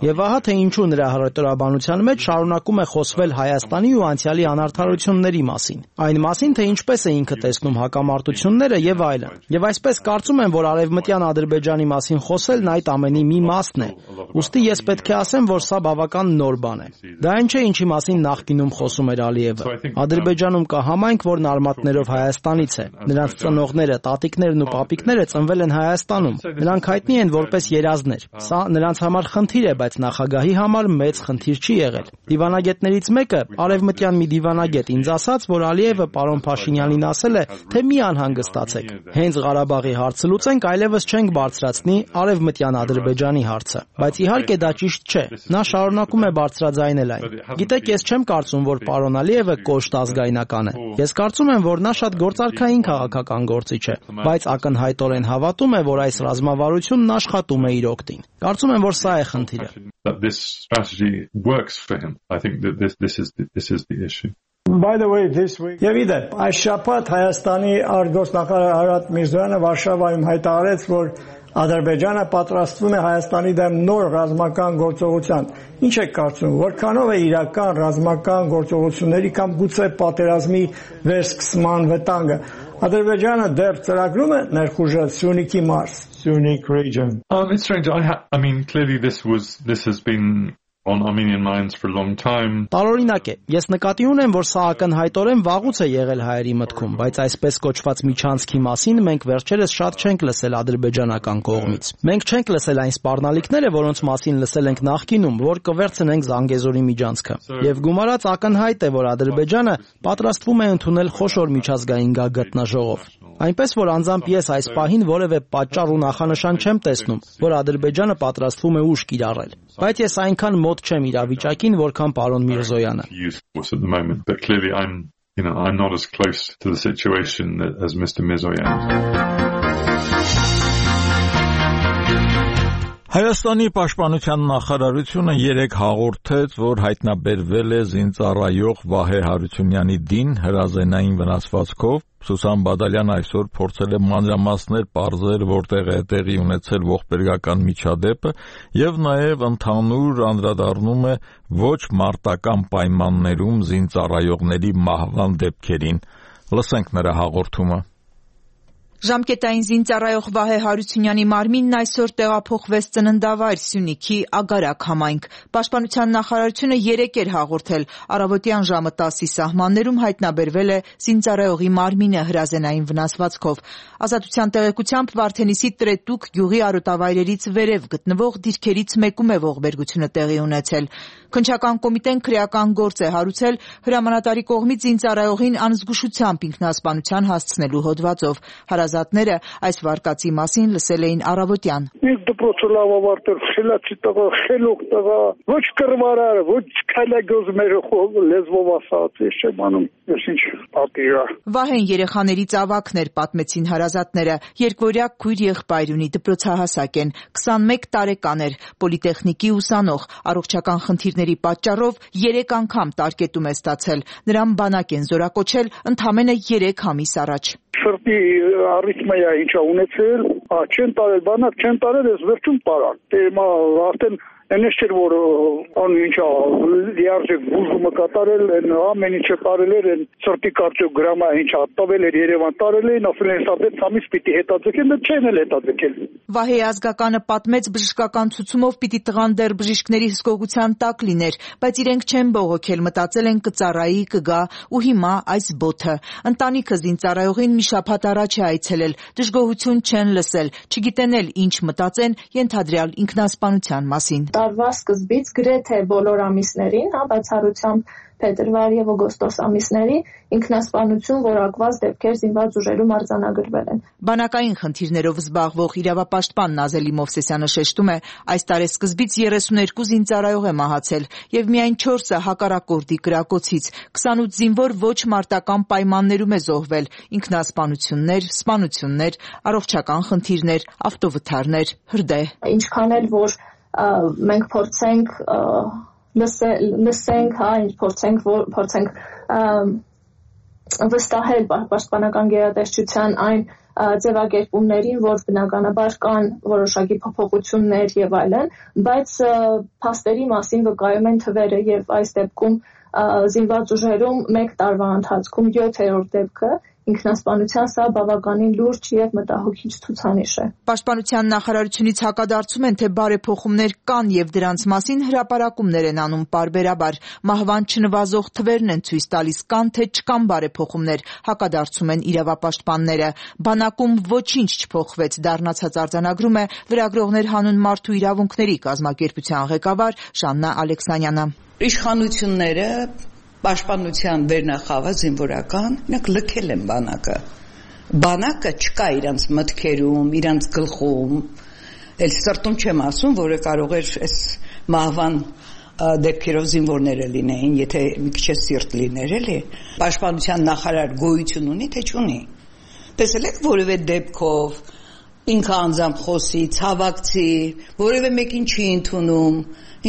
Եվ ահա թե ինչու նրա հռետորաբանության մեջ շարունակում է խոսվել Հայաստանի ու անցյալի անարդարությունների մասին, այն մասին, թե ինչպես է ինքը տեսնում հակամարտությունները եւ այլն։ Եվ այսպես կարծում եմ, որ արևմտյան Ադրբեջանի մասին խոսելն այդ ամենի մի մասն է։ Ուստի ես պետք է ասեմ, որ սա բավական նոր բան է։ Դա այն չէ, ինչի մասին նախկինում խոսում էր Ալիևը։ Ադրբեջանում կա համայնք, որն արմատներով Հայաստանից է։ Նրանց ծնողները, տատիկներն ու պապիկները ծնվել են Հայաստանում։ Նրանք հայտնի են որպես երազներ։ Սա նրանց համար խնդիր է, բայց նախագահի համար մեծ խնդիր չի եղել։ Դիվանագետներից մեկը, արևմտյան մի դիվանագետ, ինձ ասաց, որ Ալիևը պարոն Փաշինյանին ասել է, թե մի անհանգստացեք։ Հենց Ղարաբաղի հարցը լուծենք, այլևս չենք բարձրացնի արևմտյան Ադրբեջանի հարցը։ Բայց իհարկե դա ճիշտ չէ։ Նա շարունակում է բարձրաձայնել այն։ Գիտեք, ես չեմ կարծում, որ պարոն Ալիևը կոշտ ազգայնական է։ Ես կարծում եմ, որ նա շատ գործարքային քաղաքական գործիչ է, բայց ակնհայտորեն հավատում է, որ այս ռազմավարությունն աշխատում է իր օգտին։ Կարծում եմ, որ սա է խնդիրը։ This strategy works for him. I think that this is the issue. By the way, this week, եւ իդեպ, այս շաբաթ Հայաստանի արտգործնախարար Արարատ Միրզոյանը Վարշավայում հայտարարեց, որ Ադրբեջանը պատրաստվում է Հայաստանի դեմ նոր ռազմական գործողության։ Ինչ եք կարծում, որքանով է իրական ռազմական գործողությունների կամ գուցե պատերազմի վերսկսման վտանգը։ Ադրբեջանը դեռ ծրագրում է ներխուժել Սյունիքի մարզ, Սյունիք region. It's strange. I mean, clearly this has been on Armenian minds for a long time. Տարօրինակ է, ես նկատի ունեմ, որ սա ակնհայտորեն վաղուց է եղել հայերի մտքում, բայց այսպես կոչված միջանցքի մասին մենք վերջերս շատ չենք լսել ադրբեջանական կողմից։ Մենք չենք լսել այն սպառնալիքները, որոնց մասին լսել ենք նախկինում, որ կվերցնենք Զանգեզուրի միջանցքը։ Եվ գումարած ակնհայտ է, որ Ադրբեջանը պատրաստվում է ընդունել խոշոր միջազգային գագաթնաժողով։ Այնպես որ անձամբ ես այս պահին որևէ պատճառ ու նախանշան չեմ տեսնում, որ Ադրբեջանը պատրաստվում է ուժ կիրառել։ Բայց ես այնքան մոտ չեմ իրավիճակին, որքան պարոն Միրզոյանը։ But clearly I'm not as close to the situation as Mr. Mirzoyan. Հայաստանի պաշտպանության նախարարությունը 3 հաղորդեց, որ հայտնաբերվել է զինծառայող Վահե Հարությունյանի դին հրազենային վնասվածքով։ Սուսան Բադալյանը այսօր փորձել է մանրամասներ պարզել, որտեղ է տեղի ունեցել ողբերգական միջադեպը եւ նաեւ ընդհանուր անդրադառնում է ոչ մարտական պայմաններում զինծառայողների մահվան դեպքերին։ Լսենք նրա հաղորդումը։ Ժամկետային զինծառայող Վահե Հարությունյանի մարմինն այսօր տեղափոխվեց ծննդավայր Սյունիքի Ագարակ համայնք։ Պաշտպանության նախարարությունը 3 էր հաղորդել, առավոտյան ժամը 10-ի սահմաններում հայտնաբերվել է զինծառայողի մարմինը հրազենային վնասվածքով։ Ազատության տեղեկությամբ Վարդենիսի Տրետուկ գյուղի արոտավայրերից վերև գտնվող դիրքերից մեկում է ողբերգությունը տեղի ունեցել։ Քննչական կոմիտեն քրեական գործ է հարուցել հրամանատարի կողմից զինծառայողին անզգուշությամբ ինքնասպանության հասցնելու հոդվածով։ Հարազատները այս վարկածի մասին լսել էին առավոտյան։ Ես դպրոցը լավ ավարտել, խելացի տղա, խելոք տղա, ոչ կռվարար, ոչ քայլագոզ մեր լեզվով ասած, ես չեմ անում, ես ինչ պատիրա։ Վահեն երեխաներից ավագն էր, պատմեցին հարազատները։ Երկվորյա քույր եղբայր ունի, դպրոցահասակ են, 21 տարեկան էր, պոլիտեխնիկի ուսանող, առողջական խնդիրների պատճառով 3 անգամ տարկետում է ստացել։ Նրան բանակ են զորակոչել ընդամենը 3 ամիս առաջ։ Սրտի արիթմիա ինչա ունեցել, չեն տարել բանակ, չեն տարել, ես վերջում տարան։ Դե արդեն Այնպես չէր, որ ինչա լիարժեք բուժումը կատարել, ամեն ինչը տարել էր, սրտի կարդիոգրամա ինչա տվել էր Երևան տարել էին, ասել են սա 6 ամիս պիտի հետաձգել, բայց չեն էլ հետաձգել։ Վահեի ազգականը պատմեց բժշկական ցուցումով պիտի տղան դեռ բժիշկների հսկողության տակ լիներ, բայց իրենք չեն բողոքել, մտածել են կծառայի, կգա ու հիմա այս բոթը։ Ընտանիքը զինծառայողին մի շաբաթ առաջ է այցելել, դժգոհություն չեն լսել, չգիտեն էլ ինչ մտածեն ենթադրյալ ինքնասպանության մասին։ Տարվա սկզբից գրեթե բոլոր ամիսներին, բացառությամբ փետրվար եւ օգոստոս ամիսների ինքնասպանություն որակված դեպքեր զինված ուժերում արձանագրվել են։ Բանակային խնդիրներով զբաղվող իրավապաշտպան Նազելի Մովսեսյանը շեշտում է, այս տարեսկզբից 32 զինծառայող է մահացել եւ միայն 4-ը հակառակորդի կրակոցից, 28 զինվոր ոչ մարտական պայմաններում է զոհվել, ինքնասպանություններ, սպանություններ, առողջական խնդիրներ, ավտովթարներ, հրդեհ։ Ինչքան էլ որ մենք փորձենք լսենք, փորձենք վստահել պաշտպանական գերատեսչության այն ձևակերպումներին, որ բնականաբար կան որոշակի փոփոխություններ եւ այլն, բայց փաստերի մասին վկայում են թվերը եւ այս դեպքում զինված ուժերում 1 տարվա ընթացքում 7-րդ դեպքը ինքնասպանության սա բավականին լուրջ եւ մտահոգիչ ցուցանիշ է։ Պաշտպանության նախարարությունից հակադարձում են, թե բարեփոխումներ կան եւ դրանց մասին հրապարակումներ են անում պարբերաբար։ Մահվան չնվազող թվերն են ցույց տալիս, կան թե չկան բարեփոխումներ, հակադարձում են իրավապաշտպանները։ Բանակում ոչինչ չփոխվեց, դառնացած արձանագրում է լրագրողներ հանուն մարդու իրավունքների կազմակերպության ղեկավար Ժաննա Ալեքսանյանը։ Իշխանությունները Պաշտպանության վերնախավը զինվորական, նրանք լքել են բանակը չկա իրանց մտքերում, իրանց գլխում, էլ սրտում չեմ ասում, որը կարող էր այս մահվան դեպքերով զինվորները լինեին, եթե մի քիչ սիրտ լիներ, էլի։ Պաշտպանության նախարար գոյություն ունի, թե չունի։ Տեսել եք որևէ դեպքով ինքը անձամբ խոսի, ցավակցի, որևէ մեկին չի ընդունում,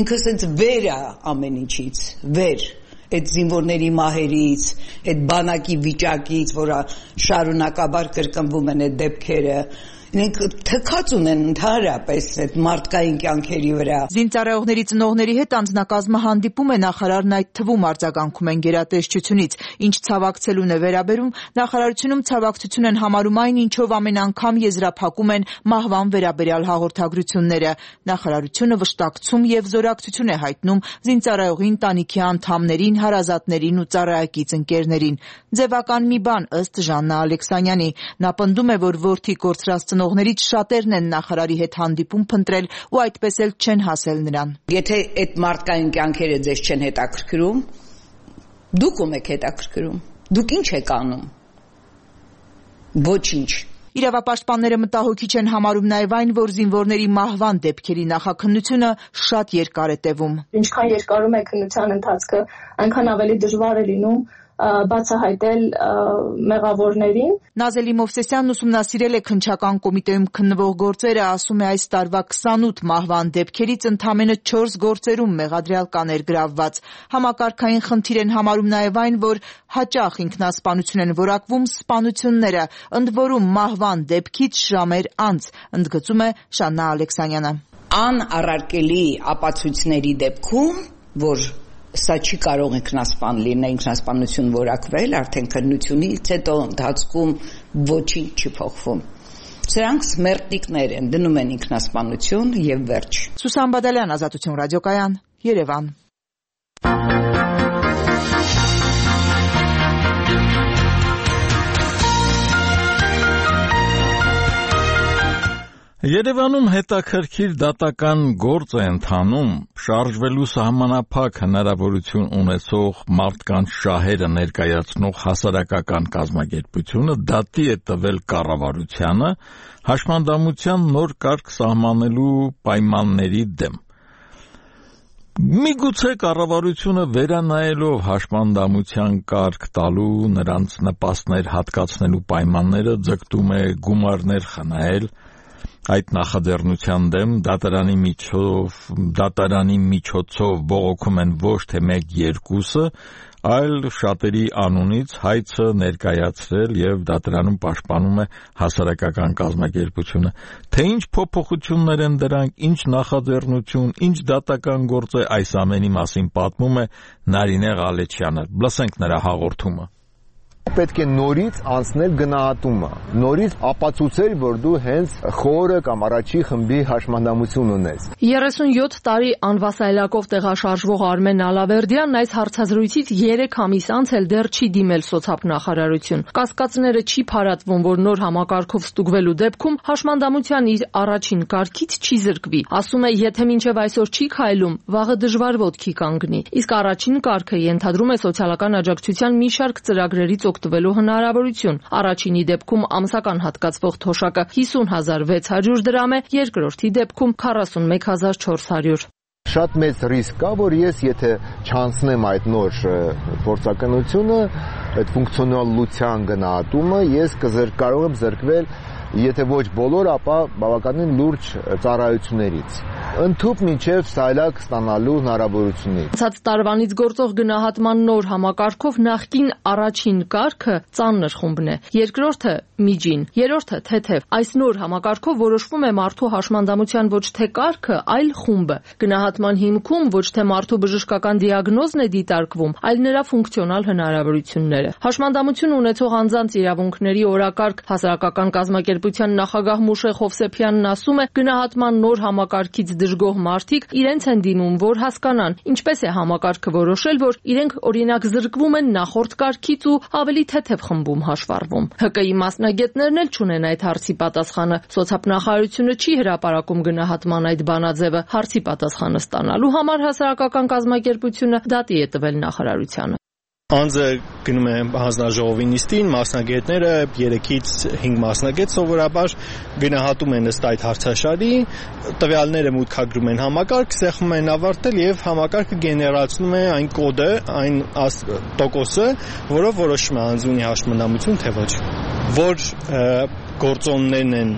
ինքը սենց վեր է ամեն ինչից, վեր այդ զինվորների մահերից, այդ բանակի վիճակից, որը շարունակաբար կրկնվում են այդ դեպքերը, Իրենք թքած ունեն ընդհանրապես այդ մարդկային կյանքերի վրա։ Զինծառայողների ծնողների հետ անձնակազմը հանդիպում է, նախարարն այդ թվում արձագանքում են գերատեսչությունից։ Ինչ ցավակցելուն է վերաբերում, նախարարությունում ցավակցություն են համարում այն, ինչով ամեն անգամ եզրափակում են մահվան վերաբերյալ հաղորդագրությունները։ Նախարարությունը վշտակցում եւ զորակցություն է հայտնում զինծառայողի ընտանիքի անդամներին, հարազատներին ու ծառայակից ընկերներին։ Ձևական մի բան, ըստ Ժաննա Ալեքսանյանի։ Նա պնդում է, որ որդի կորցրած ծնողներից շատերն են նախարարի հետ հանդիպում փնտրել ու այդպես էլ չեն հասել նրան։ Եթե այդ մարդկային կյանքերը ձեզ չեն հետաքրքրում, դուք ում եք հետաքրքրում։ Դուք ինչ եք անում։ Ոչինչ։ Իրավապաշտպանները մտահոգիչ են համարում նաև այն, որ զինվորների մահվան դեպքերի նախաքննությունը շատ երկար է տևում։ Ինչքան երկարում է քննության ընթացքը, այնքան ավելի դժվար է լինում բացահայտել մեղավորներին։ Նազելի Մովսեսյանն ուսումնասիրել է քննչական կոմիտեում քննվող գործերը, ասում է այս տարվա 28 մահվան դեպքերից ընդամենը 4 գործերում մեղադրյալ կաներ գրավված։ Համակարգային խնդիր են համարում նաև այն, որ հաճախ ինքնասպանություն են որակվում սպանությունները, ընդ որում մահվան դեպքից ժամեր անց, ընդգծում է Ժաննա Ալեքսանյանը։ Անառարկելի ապացույցների դեպքում, որ սա չի կարող ինքնասպան լինել, ինքնասպանություն որակվել, արդեն քննությունից հետո ընթացքում ոչինչ չի փոխվում։ Սրանք սմերտիկներ են, դնում են ինքնասպանություն եւ վերջ։ Սուսան Բադալյան, Ազատություն ռադիոկայան, Երևան։ Երևանում հետաքրքիր դատական գործ է ընթանում, շարժվելու սահմանափակ հնարավորություն ունեցող մարդկանց շահերը ներկայացնող հասարակական կազմակերպությունը դատի է տվել կառավարությանը հաշմանդամության նոր կարգ սահմանելու պայմանների դեմ։ Միգուցե կառավարությունը վերանայելով հաշմանդամության կարգ տալու, նրանց նպաստներ հատկացնելու պայմանները ձգտում է գումարներ խնայել այդ նախաձեռնության դեմ դատարանի միջոցով բողոքում են ոչ թե 1-2-ը, այլ շատերի անունից հայցը ներկայացրել եւ դատարանում պաշտպանում է հասարակական կազմակերպությունը։ Թե ինչ փոփոխություններ են դրանք, ինչ նախաձեռնություն, ինչ դատական գործ է, այս ամենի մասին պատմում է Նարինե Ղալեչյանը։ Լսենք նրա հաղորդումը։ Պետք է նորից անցնել գնահատումը, նորից ապացուցել, որ դու հենց խորը կամ առաջի խմբի հաշմանդամություն ունես։ 37 տարի անվասայլակով տեղաշարժվող Արմեն Ալավերդյանն այս հարցազրույցից 3 ամիս անց էլ դեռ չի դիմել սոցիալ-նախարարություն։ Կասկածները չի փարատվում, որ նոր համակարգով ստուգվելու դեպքում հաշմանդամության իր առաջին կարգից չի զրկվի։ Ասում է, եթե մինչև այսօր չի քայլում, վաղը դժվար ոտքի կանգնի։ Իսկ առաջին կարգը ենթադրում է սոցիալական աջակցության մի շարք ծրագրերից օգտվելու հնարավորություն։ Առաջինի դեպքում ամսական հատկացվող թոշակը 50,600 դրամ է, երկրորդի դեպքում 41,400։ Շատ մեծ ռիսկ կա, որ ես եթե չանցնեմ այդ նոր փորձականությունը, այդ ֆունկցիոնալության գնահատումը, ես կարող եմ զրկվել, եթե ոչ բոլոր, ապա բավականին լուրջ ծառայություններից։ Ընդհուպ մինչև սայլակ ստանալու հնարավորությունից։ Անցած տարվանից գործող գնահատման նոր համակարգով նախկին առաջին կարգը ծանր խումբն է, երկրորդը միջին, երրորդը թեթև։ Այս նոր համակարգով որոշվում է մարդու հաշմանդամության ոչ թե կարգը, այլ խումբը։ Գնահատման հիմքում ոչ թե մարդու բժշկական դիագնոզն է դիտարկվում, այլ նրա ֆունկցիոնալ հնարավորությունները։ Հաշմանդամություն ունեցող անձանց իրավունքների օրակարգ հասարակական կազմակերպության նախագահ Մուշե Խովսեփյանն ասում է, գնահատման նոր համակարգից դժգոհ մարդիկ իրենց են դիմում, որ հասկանան, ինչպես է համակարգը որոշել, որ իրենք օրինակ զրկվում են նախորդ կարգից ու ավելի թեթև խմբում հաշվառվում։ ՀԿ-ի մասնագետներն էլ չունեն այդ հարցի պատասխանը։ Սոցիալնախարարությունը չի հրապարակում գնահատման այդ բանաձևը։ Հարցի պատասխանը ստանալու համար հասարակական կազմակերպությունը դատի է տվել նախարարությանը։ Անձը գնում է հանձնաժողովի նիստին, մասնագետները 3-ից 5 մասնագետ սովորաբար գնահատում են ըստ այդ հարցաշարի, տվյալները մուտքագրում են համակարգ, սեղմում են ավարտել եւ համակարգը գեներացնում է այն կոդը, այն տոկոսը, որով որոշում է անձ ունի հաշմանդամություն թե ոչ։ Որ գործոններն են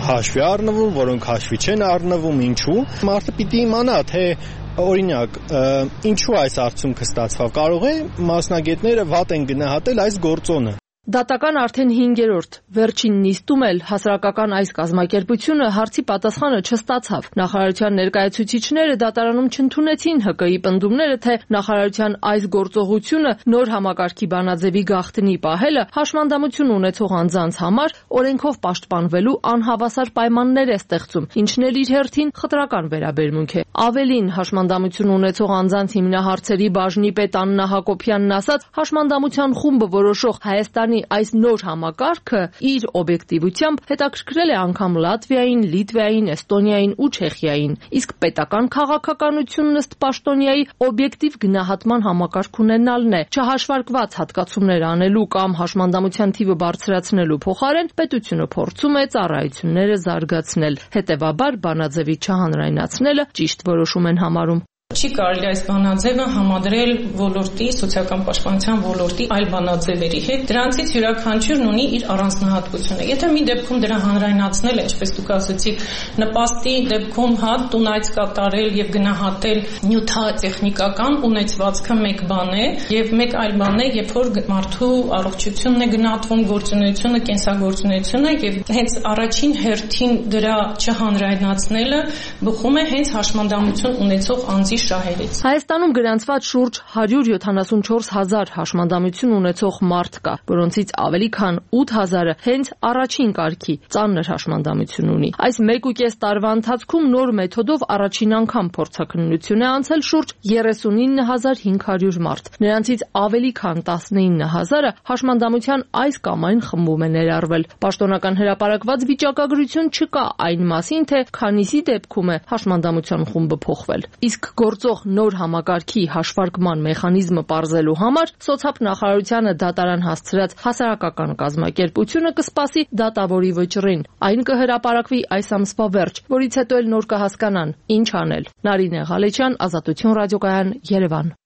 հաշվի առնվում, որոնք հաշվի չեն առնվում, ինչու։ Մարդը պիտի իմանա, թե օրինակ, ինչու այս արդյունքը ստացավ։ Կարող է մասնագետները վատ են գնահատել այս գործոնը։ Դատական արդեն 5-րդ վերջին նիստում էլ հասարակական այս կազմակերպությունը հարցի պատասխանը չստացավ։ Նախարարության ներկայացուցիչները դատարանում չընդունեցին ՀԿ-ի պնդումները, թե նախարարության այս գործողությունը նոր համակարգի բանաձևի գաղտնի պահելը հաշմանդամություն ունեցող անձանց համար օրենքով պաշտպանվելու անհավասար պայմաններ է ստեղծում, ինչն էլ իր հերթին խտրական վերաբերմունք է։ Ավելին, հաշմանդամություն ունեցող անձանց հիմնահարցերի բաժնի պետ Աննա Հակոբյանն ասաց, հաշմանդամության խումբը որոշող Հայաստանի այս նոր համակարգը իր օբյեկտիվությամբ հետաքրքրել է անգամ Լատվիային, Լիտվային, Էստոնիային ու Չեխիային, իսկ պետական քաղաքականությունն ըստ պաշտոնյայի օբյեկտիվ գնահատման համակարգ ունենալն է։ Չհաշվարկված հատկացումներ անելու կամ հաշմանդամության թիվը բարձրացնելու փոխարեն պետությունը փորձում է ծառայությունները զարգացնել։ Հետևաբար բանաձևի չհանրայնացնելը ճիշտ որոշում են համարում։ Չի կարելի այս բանաձևը համադրել ոլորտի, սոցիալական պաշտպանության ոլորտի այլ բանաձևերի հետ։ Դրանցից յուրաքանչյուրն ունի իր առանձնահատկությունը։ Եթե մի դեպքում դրա հանրայնացնելը, ինչպես դուք ասացիք, նպաստի դեպքում տունայց կատարել եւ գնահատել նյութատեխնիկական ունեցվածքը մեկ բան է, եւ մեկ այլ բան է, երբ որ մարդու առողջությունն է գնահատվում, գործունեությունը, կենսագործունեությունը, եւ հենց առաջին հերթին դրա չհանրայնացնելը բխում է հենց հաշմանդամություն ունեցող անձի շահերից։ Հայաստանում գրանցված շուրջ 174,000 հաշմանդամություն ունեցող մարդ կա, որոնցից ավելի քան 8,000-ը հենց առաջին կարգի ծանր հաշմանդամություն ունի։ Այս 1.5 տարվա ընթացքում նոր մեթոդով առաջին անգամ փորձաքննություն է անցել շուրջ 39,500 մարդ։ Նրանցից ավելի քան 19,000-ը հաշմանդամության այս կամ այն խմբում է ներառվել։ Պաշտոնական հրապարակված վիճակագրություն չկա այն մասին, թե քանիսի դեպքում է հաշմանդամության խումբը փոխվել։ Իսկ գործող նոր համակարգի հաշվարկման մեխանիզմը պարզելու համար սոցհաբ նախարարությանը դատարան հասցրած հասարակական կազմակերպությունը կսպասի դատավորի վճռին։ Այն կհրապարակվի այս ամսվա վերջ, որից հետո էլ նոր կհասկանան ինչ անել։ Նարինե Ղալեչյան, Ազատություն ռադիոկայան, Երևան։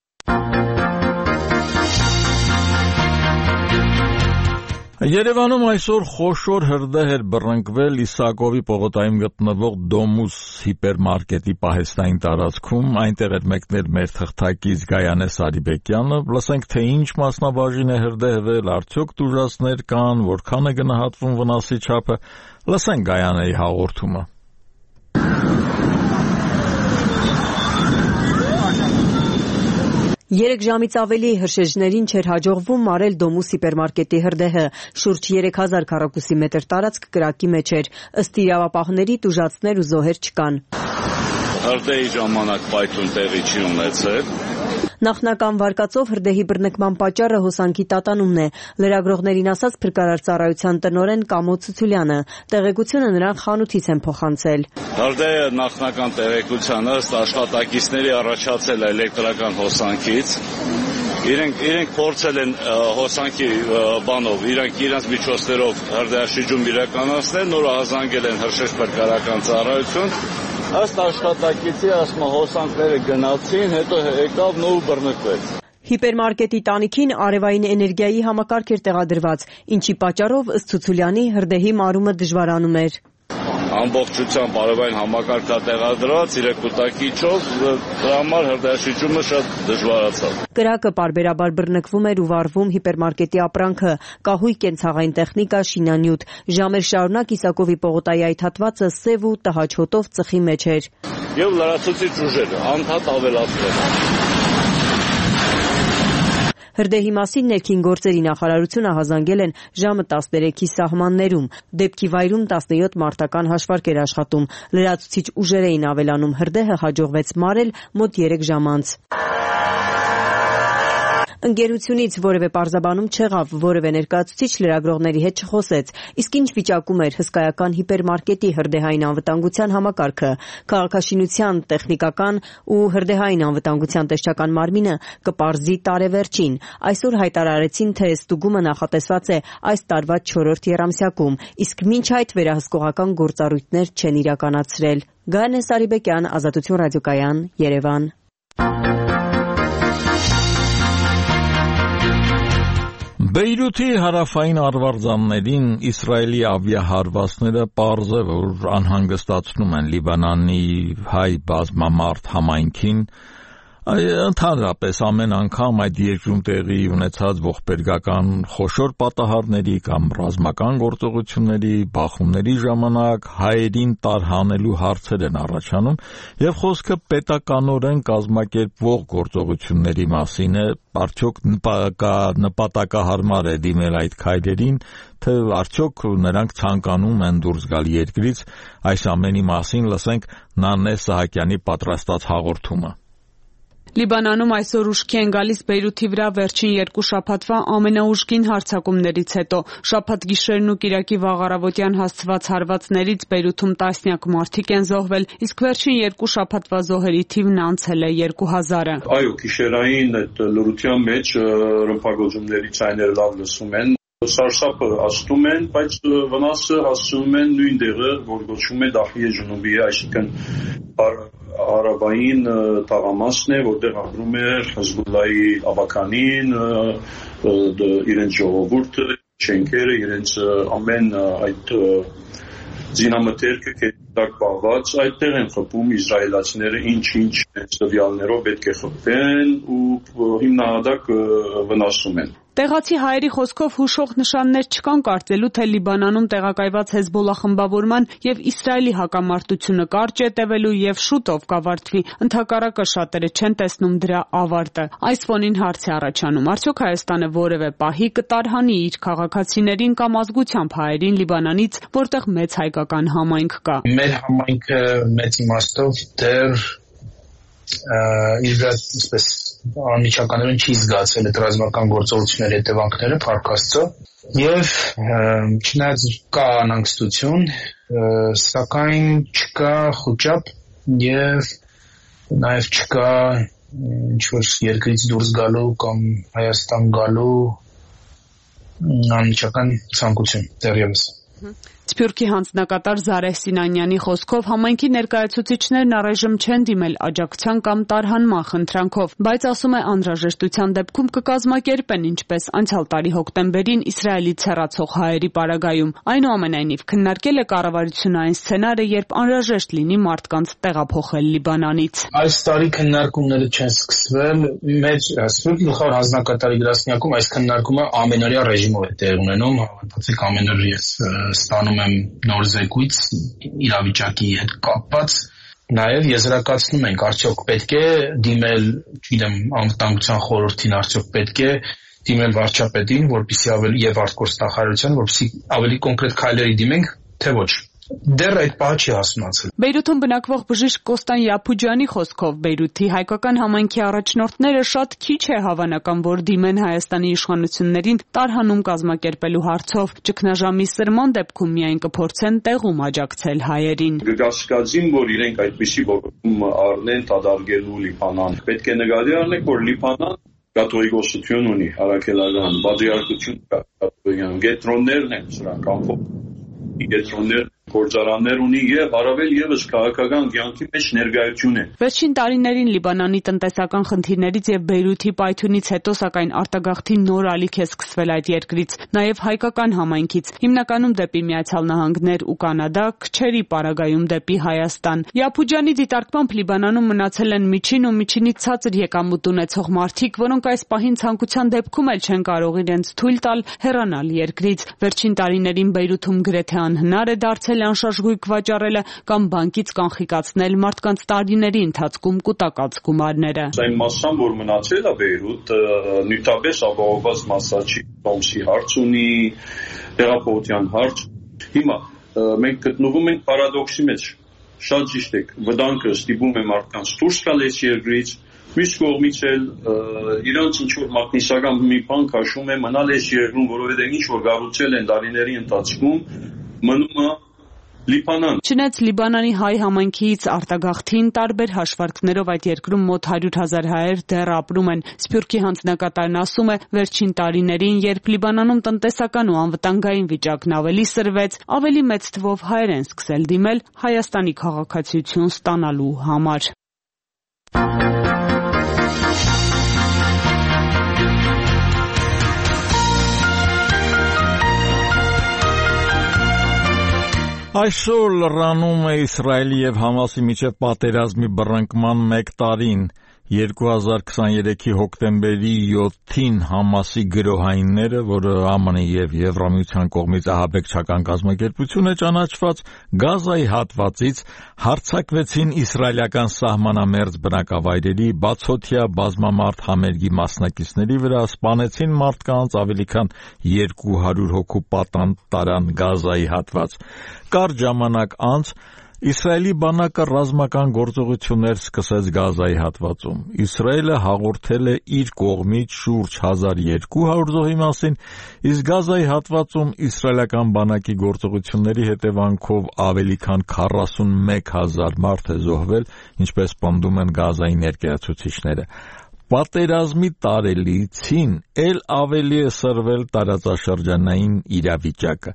Երևանում այսօր խոշոր հրդեհ էր բռնկվել Իսակովի պողոտայում գտնվող Դոմուս հիպերմարկետի պահեստային տարածքում, այնտեղ էր մեկնել մեր թղթակից Գայանե Սարիբեկյանը, լսենք թե ինչ մասնաբաժին է հրդեհվել, արդյոք տուժածներ կան, որքան է գնահատվում վնասի չափը, լսենք Գայանեի հաղորդումը։ Երեք ժամից ավելի հրշեջներին չէր հաջողվում մարել Դոմուս հիպերմարկետի հրդեհը, շուրջ 3000 քառակուսի մետր տարածք կրակի մեջ էր, ըստ իրավապահների տուժածներ ու զոհեր չկան։ Հրդեհի ժամանակ պայթուն տեղի չի ունեցել։ Նախնական վարկածով հրդեհի բռնկման պատճառը հոսանքի տատանումն է, լրագրողներին ասաց փրկարար ծառայության տնօրեն Կամո Ցուցուլյանը, տեղեկությունը նրան խանութից են փոխանցել։ Հրդեհը նախնական տեղեկությանը ըստ աշխատակիցների առաջացել է էլեկտրական հոսանքից։ Իրենք փորձել են հոսանքի բանով, իրենց միջոցներով հրդեհաշիջում իրականացնել, նորը հազանգել են հրշեջ փրկարարական ծառայություն։ Ըստ աշխատակիցի ասում հոսանքները գնացին, հետո եկավ նոր բռնկվեց։ Հիպերմարկետի տանիքին արևային էներգիայի համակարգ էր տեղադրված, ինչի պատճառով ըստ Ցուցուլյանի հրդեհի մարումը դժվարանում էր։ Ամբողջությամբ արևային համակարգա տեղադրված 3 կուտակիչով, դրա համար հրդեհաշիջումը շատ դժվարացավ։ Կրակը պարբերաբար բռնկվում էր ու վառվում հիպերմարկետի ապրանքը, կահույք, կենցաղային տեխնիկա, շինանյութ։ Ժամեր շարունակ Իսակովի պողոտայի այդ հատվածը սև ու տհաճ հոտով ծխի մեջ էր։ Եվ լրացուցիչ ուժերը անդադ ավելացվել։ Հրդեհի մասին ներքին գործերի նախարարությունը հազանգել են ժամը 13-ի սահմաններում։ Դեպքի վայրում 17 մարտական հաշվարկ էր աշխատում։ Լրացուցիչ ուժեր էին ավելանում։ Հրդեհը հաջողվեց մարել մոտ 3 ժամ անց։ Ընկերությունից որևէ պարզաբանում չեղավ, որևէ ներկայացուցիչ լրագրողների հետ չխոսեց։ Իսկ ինչ վիճակում էր հսկայական հիպերմարկետի հրդեհային անվտանգության համակարգը։ Քաղաքաշինության, տեխնիկական ու հրդեհային անվտանգության տեսչական մարմինը կպարզի տարեվերջին։ Այսօր հայտարարեցին, թե ստուգումը նախատեսված է այս տարվա 4-րդ եռամսյակում, իսկ մինչ այդ վերահսկողական գործառույթներ չեն իրականացրել։ Գայանե Սարիբեկյան, Ազատություն ռադիոկայան, Երևան։ Բեյրութի հարավային արվարձաններին Իսրայելի ավիահարվածները պարզ է, որ անհանգստացնում են Լիբանանի հայ բազմամարդ համայնքին, Ընդհանրապես ամեն անգամ այդ երկրում տեղի ունեցած ողբերգական խոշոր պատահարների կամ ռազմական գործողությունների, բախումների ժամանակ հայերին տարհանելու հարցեր են առաջանում եւ խոսքը պետականորեն կազմակերպվող գործողությունների մասին է, արդյոք նպատակահարմար է դիմել այդ քայլերին, թե արդյոք նրանք ցանկանում են դուրս գալ երկրից, այս ամենի մասին լսենք Նանե Սահակյանի պատրաստած հաղորդումը։ Լիբանանում այսօր ուշքի են գալիս Բեյրութի վրա վերջին 2 շաբաթվա ամենաուժգին հարձակումներից հետո։ Շաբաթ գիշերն ու կիրակի վաղ առավոտյան հասցված հարվածներից Բեյրութում տասնյակ մարդիկ են զոհվել, իսկ վերջին 2 շաբաթվա զոհերի թիվն անցել է 2000-ը։ Այո, գիշերային այդ լրության մեջ ռմբակոծումների ցայները լավ լսում են։ Սարսափը աստում են, բայց վնասը հասցնում են նույն դեղը, որ գոչվում է Դախիե Ջնուբի, այսինքն հարավային թաղամասն է, որտեղ ապրում է Հեզբոլլայի ավականին, իրենց ժողովուրդը, շենքերը, իրենց ամեն այդ զինամթերքը կետակ պահված, այդտեղ են խփում իսրայելացիները ինչ տվյալներով պետք է խփվեն ու հիմնահատակ վնասում են։ Տեղացի հայերի խոսքով հուշող նշաններ չկան կարծելու, թե Լիբանանում տեղակայված Հեզբոլլա խմբավորման եւ Իսրայելի հակամարտությունը կարճ է տևելու եւ շուտով կավարտվի։ Ընդհակառակը շատերը չեն տեսնում դրա ավարտը։ Այս ֆոնին հարց է առաջանում. արդյոք Հայաստանը որևէ պահի կտարհանի իր քաղաքացիներին կամ ազգությամբ հայերին Լիբանանից, որտեղ մեծ հայկական համայնք կա։ Մեր համայնքը մեծ իմաստով դեռ իսպես անմիջականորեն չի զգացել այդ ռազմական գործողությունների հետևանքները, փառք Աստծո, եւ չնայած կա անհանգստություն, սակայն չկա խոճապ եւ նաեւ չկա ինչ-որ երկրից դուրս գալու կամ Հայաստան գալու անմիջական ցանկություն դեռևս։ Սփյուռքի հանձնակատար Զարեհ Սինանյանի խոսքով համայնքի ներկայացուցիչներն առայժմ չեն դիմել աջակցության կամ տարհանման խնդրանքով, բայց ասում է անհրաժեշտության դեպքում կկազմակերպեն ինչպես անցյալ տարի հոկտեմբերին Իսրայելից հեռացող հայերի պարագայում։ Այնուամենայնիվ քննարկել է կառավարությունը այն սցենարը, երբ անհրաժեշտ լինի մարդկանց տեղափոխել Լիբանանից։ Այս տարի քննարկումները չեն սկսվել, մեր Սփյուռքի գլխավոր հանձնակատարի գրասենյակում այս քննարկումը ամենօրյա ռեժիմով է տեղի ունենում, հավատացեք ամեն օր ես ստանում եմ նոր զեկույց իրավիճակի հետ կապված, նաև եզրակացնում ենք, արդյոք պետք է դիմել, չգիտեմ, անվտանգության խորհրդին, արդյոք պետք է դիմել վարչապետին, որպեսզի ավելի եւ արտգործնախարարության, որպեսզի ավելի կոնկրետ քայլերի դիմենք, թե ոչ։ Դեռ այդ պահը չի հասունացել։ Բեյրութում բնակվող բժիշկ Կոստան Յափուջյանի խոսքով Բեյրութի հայկական համայնքի առաջնորդները շատ քիչ է հավանական, որ դիմեն Հայաստանի իշխանություններին տարհանում կազմակերպելու հարցով, ճգնաժամի սրման դեպքում միայն կփորձեն տեղում աջակցել հայերին։ Գասկածին, որ իրենք այդպիսի որոշում առնեն դադարելու Լիբանան, պետք է նկատի առնենք, որ Լիբանան կաթողիկոսություն ունի, հարաքելական, բادرիարքություն կա, գետրոններն են սրանք ամփոփ գետրոններ գործարաններ ունի եւ առավել եւս քաղաքական կյանքի մեջ ներկայություն է։ Վերջին տարիներին Լիբանանի տնտեսական խնդիրներից եւ Բեյրութի պայթյունից հետո սակայն արտագաղթի նոր ալիք է սկսվել այդ երկրից, նաեւ հայկական համայնքից, հիմնականում դեպի Միացյալ Նահանգներ ու Կանադա, քչերի պարագայում դեպի Հայաստան։ Յափուջյանի դիտարկմամբ Լիբանանում մնացել են միջին ու միջինից ցածր եկամուտ ունեցող մարդիկ, որոնք այս պահին ցանկության դեպքում էլ չեն կարող իրենց թույլ տալ հեռանալ երկրից։ Վերջին տարիներին Բեյրութում գրեթե անհնար է դարձել անշարժ վաճառելը կամ բանկից կանխիկացնել մարդկանց տարիների ընթացքում կուտակած գումարները։ Այն մասսան, որ մնացել է Բեյրութ, նյութապես ապահովված մասա չի, Տոմսի հարց ունի, տեղափոխության հարց։ Հիմա մենք գտնվում ենք պարադոքսի մեջ։ Շատ ճիշտ եք, վտանգը ստիպում է մարդկանց դուրս գալ այս երկրից, մյուս կողմից էլ իրանց ինչ-որ մագնիսական մի բան քաշում է մնալ այս երկրում, որովհետև ինչ-որ գառուցել են տարիների ընթացքում, մնում է Լիբանան։ Չնայած Լիբանանի հայ համայնքից արտագաղթին տարբեր հաշվարկներով այդ երկրում մոտ 100,000 հայեր դեռ ապրում են։ Սփյուռքի հանձնակատարն ասում է, վերջին տարիներին, երբ Լիբանանում տնտեսական ու անվտանգային վիճակն ավելի սրվեց, ավելի մեծ թվով հայեր են սկսել դիմել Հայաստանի քաղաքացիություն ստանալու համար։ Այսօր լրանում է Իսրայելի եւ Համասի միջև պատերազմի բռնկման 1 տարին, 2023-ի հոկտեմբերի 7-ին Համասի գրոհայինները, որը ԱՄՆ-ի եւ Եվրամիության կողմից ահաբեկչական կազմակերպություն է ճանաչված, Գազայի հատվածից հարձակվեցին իսրայելական սահմանամերձ բնակավայրերի, բացօթյա բազմամարդ համերգի մասնակիցների վրա, սպանեցին մարդկանց, ավելի քան 200 հոգու պատանդ տարան Գազայի հատված։ Կարճ ժամանակ անց Իսրայելի բանակը ռազմական գործողություններ սկսեց Գազայի հատվածում։ Իսրայելը հաղորդել է իր կողմից շուրջ 1200 զոհի մասին, իսկ Գազայի հատվածում իսրայելական բանակի գործողությունների հետևանքով ավելի քան 41000 մարդ է զոհվել, ինչպես պնդում են Գազայի ներկայացուցիչները։ Պատերազմի տարելիցին էլ ավելի է սրվել տարածաշրջանային իրավիճակը։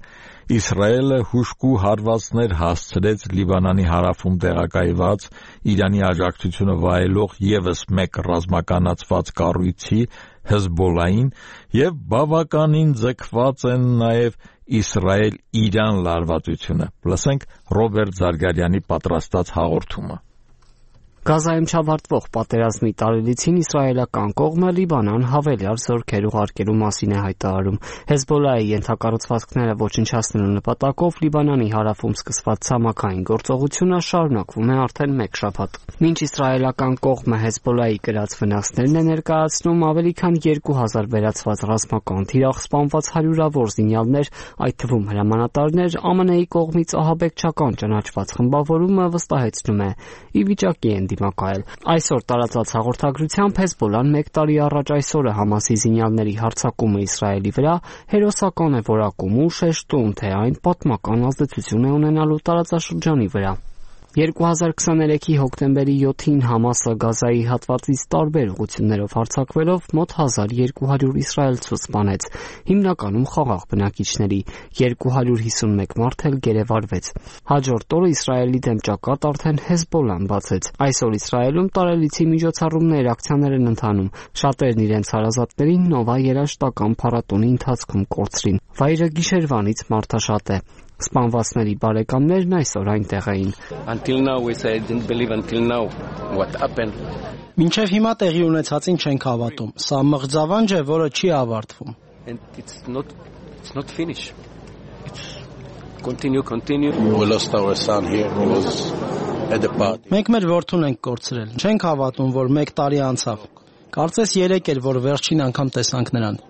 Իսրայելը հուժկու հարվածներ հասցրեց Լիբանանի հարավում տեղակայված Իրանի աջակցությունը վայելող ևս մեկ ռազմականացված կառույցի Հեզբոլլային եւ բավականին ձգված են նաեւ Իսրայել-Իրան լարվածությունը։ Լսենք Ռոբերտ Զարգարյանի պատրաստած հաղորդումը։ Գազայում չավարտվող պատերազմի տարելիցին իսրայելական կողմը Լիբանան հավելյալ զորքեր ուղարկելու մասին է հայտարարում։ Հեզբոլլայի ենթակառուցվածքները ոչնչացնելու նպատակով Լիբանանի հարավում սկսված ցամաքային գործողությունը շարունակվում է արդեն մեկ շաբաթ։ Մինչ իսրայելական կողմը Հեզբոլլայի կրած վնասներն է ներկայացնում, ավելի քան 2000 վերացված ռազմական թիրախ, սպանված հարյուրավոր զինյալներ, այդ թվում հրամանատարներ, ԱՄՆ-ի կողմից ահաբեկչական ճանաչված խմբավորումը վստահեցնում է՝ ի վիճակի են դիմակայել։ Այսօր տարածած հաղորդագրությամբ Հեզբոլլան 1 տարի առաջ այսօրը Համասի զինյալների հարձակումը Իսրայելի վրա հերոսական է որակում ու շեշտում, թե այն պատմական ազդեցություն է ունենալու տարածաշրջանի վրա։ 2023-ի հոկտեմբերի 7-ին Համասը Գազայի հատվածից տարբեր ուղղություններով հարձակվելով մոտ 1200 իսրայելցու սպանեց, հիմնականում խաղաղ բնակիչների, 251 մարդ էլ գերեվարվեց։ Հաջորդ օրը Իսրայելի դեմ ճակատ արդեն Հեզբոլլան բացեց։ Այսօր Իսրայելում տարելիցի միջոցառումներ, ակցիաներ են ընթանում, շատերն իրենց հարազատներին Նովա երաժշտական փառատոնի ընթացքում կորցրին։ Վայրը գիշերվանից մարդաշատ է։ Սպանվածների բարեկամներն այսօր այնտեղ էին։ Մինչև հիմա տեղի ունեցածին չենք հավատում։ Սա մղձավանջ է, որը չի ավարտվում։ Մենք մեր որդուն ենք կորցրել։ Չենք հավատում, որ 1 տարի անցավ։ Կարծես 3 էր, որ վերջին անգամ տեսանք նրան։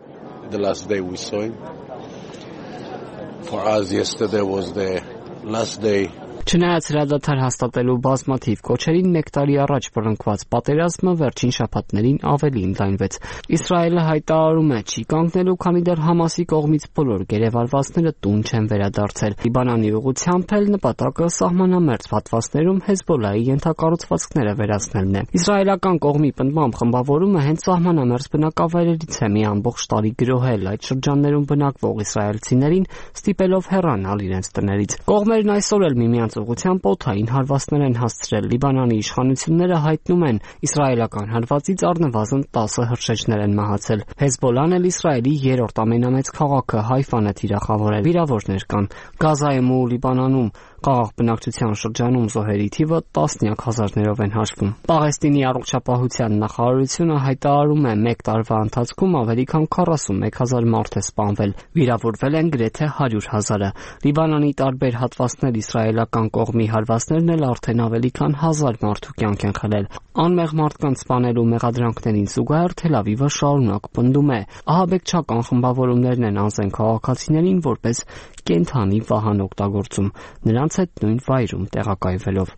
For us, yesterday was the last day. Չնայած հրադադար հաստատելու բազմաթիվ կոչերին 1 տարի առաջ բռնկված պատերազմը վերջին շաբաթներին ավելի ընդլայնվեց։ Իսրայելը հայտարարում է չի կանգնելու, քանի դեռ Համասի կողմից բոլոր գերեվարվածները տուն չեն վերադարձել։ Լիբանանի ուղղությամբ էլ նպատակը սահմանամերձ հատվածներում Հեզբոլլայի ենթակառուցվածքները վերացնելն է։ Իսրայելական կողմի պնդմամբ խմբավորումը հենց սահմանամերձ բնակավայրերից է մի ամբողջ տարի գրոհել այդ շրջաններում բնակվող իսրայելցիներին, ստիպելով հեռանալ իրենց տներից։ Կողմերն այսօր էլ միմյանց ուղղությամբ օդային հարվածներ են հասցրել։ Լիբանանի իշխանությունները հայտնում են, իսրայելական հարվածից առնվազն 10 հրշեջներ են մահացել։ Հեզբոլլան էլ Իսրայելի 3-րդ ամենամեծ քաղաքը Հայֆան է թիրախավորել։ Վիրավորներ կան։ Գազայում ու Լիբանանում խաղաղ բնակչության շրջանում զոհերի թիվը տասնյակ հազարներով են հաշվում։ Պաղեստինի առողջապահության նախարարությունը հայտարարում է 1 տարվա ընթացքում ավելի քան 41000 մարդ է սպանվել, վիրավորվել են գրեթե 100,000-ը։ Լիբանանի տարբեր հատվածներ իսրայելական կողմի հարվածներն էլ արդեն ավելի քան 1000 մարդու կյանք են խլել։ Անմեղ մարդկանց սպանելու մեղադրանքներին զուգահեռ Թել Ավիվը շարունակ պնդում է, ահաբեկչական խմբավորումներն են անզեն քաղաքացիներին որպես կենդանի վահան օգտագործում, նրանց հետ նույն վայրում տեղակայվելով։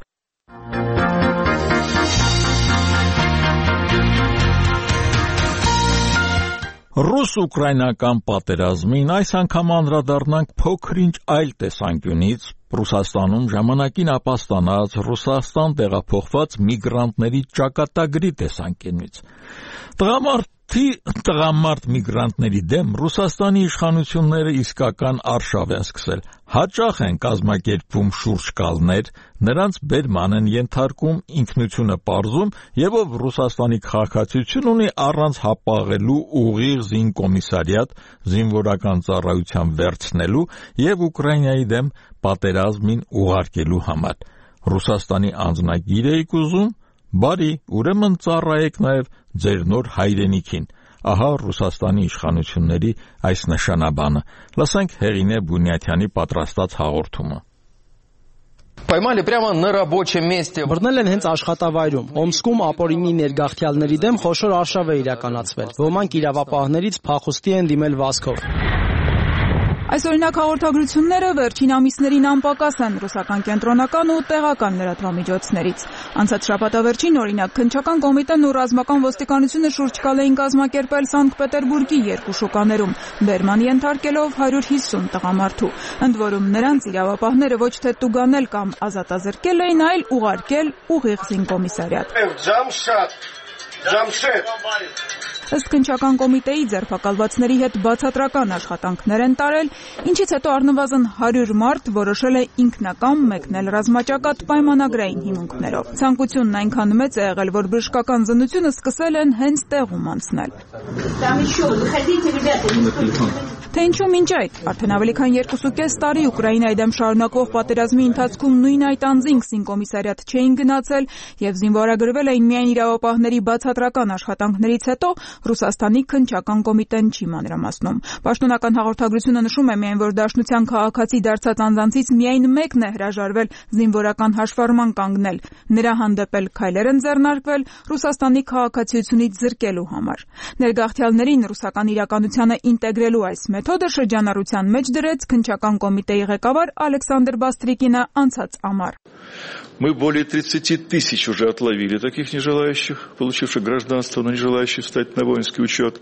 Ռուս-ուկրաինական պատերազմին այս անգամ անդրադառնանք փոքր-ինչ այլ տեսանկյունից, Ռուսաստանում ժամանակին ապաստանած Ռուսաստան տեղափոխված միգրանտների ճակատագրի տեսանկյունից։ Տղամարդ միգրանտների դեմ Ռուսաստանի իշխանությունները իսկական արշավ են սկսել։ Հաճախ են կազմակերպվում շուրջկալներ, նրանց բերման են ենթարկում, ինքնությունը պարզում եւ ով Ռուսաստանի քաղաքացիություն ունի առանց հապաղելու ուղիղ զինկոմիսարիատ զինվորական ծառայության վերցնելու եւ Ուկրաինայի դեմ պատերազմին ուղարկելու համար։ Ռուսաստանի անձնագիր էիք ուզում, Բարի, ուրեմն ծառայեք նաև ձեր նոր հայրենիքին։ Ահա Ռուսաստանի իշխանությունների այս նշանաբանը։ Լսենք Հեղինե Բունյաթյանի պատրաստած հաղորդումը։ Поймали прямо на рабочем месте. Բռնել են հենց աշխատավայրում։ Օմսկում ապօրինի ներգաղթյալների դեմ խոշոր արշավ է իրականացվել։ Ոմանք իրավապահներից փախուստի են դիմել վազքով։ Այս օրինակ հաղորդագրությունները վերջին ամիսներին անպակաս են ռուսական կենտրոնական ու տեղական լրատվամիջոցներից։ Անցած շաբաթավերջին օրինակ քննչական կոմիտեն ու ռազմական ոստիկանությունը շուրջկալ էին կազմակերպել Սանկտ Պետերբուրգի երկու շուկաներում, բերման ենթարկելով 150 տղամարդու։ Ընդ որում նրանց իրավապահները ոչ թե տուգանել կամ ազատազրկել էին, այլ ուղարկել ուղիղ զինկոմիսարիատ։ Ըստ քննչական կոմիտեի ձերբակալվածների հետ բացատրական աշխատանքներ են տարել, ինչից հետո առնվազն 100 մարդ որոշել է ինքնակամ մեկնել ռազմաճակատ պայմանագրային հիմունքներով։ Ցանկությունն այնքան մեծ է եղել, որ բժշկական զննությունը սկսել են հենց տեղում անցնել։ Թե ինչու մինչ այդ, արդեն ավելի քան 2.5 տարի Ուկրաինայի դեմ շարունակվող պատերազմի ընթացքում նույն այդ անձինք զինկոմիսարիատ չէին գնացել եւ զինվորագրվել էին միայն իրավապահների բացատրական աշխատանքներից հետո, Ռուսաստանի քննչական կոմիտեն չի մանրամասնում։ Պաշտոնական հաղորդագրությունը նշում է միայն, որ Դաշնության քաղաքացի դարձած անձանցից միայն մեկն է հրաժարվել զինվորական հաշվառման կանգնել։ Նրա հանդեպ էլ քայլեր են ձեռնարկվել Ռուսաստանի քաղաքացիությունից զրկելու համար։ Ներգաղթյալներին ռուսական իրականությանը ինտեգրելու այս մեթոդը շրջանառության մեջ դրեց քննչական կոմիտեի ղեկավար Ալեքսանդր Բաստրիկինը անցած ամառ։ Мы более 30 тысяч уже отловили таких нежелающих, получивших гражданство, но не желающих встать на воинский учет.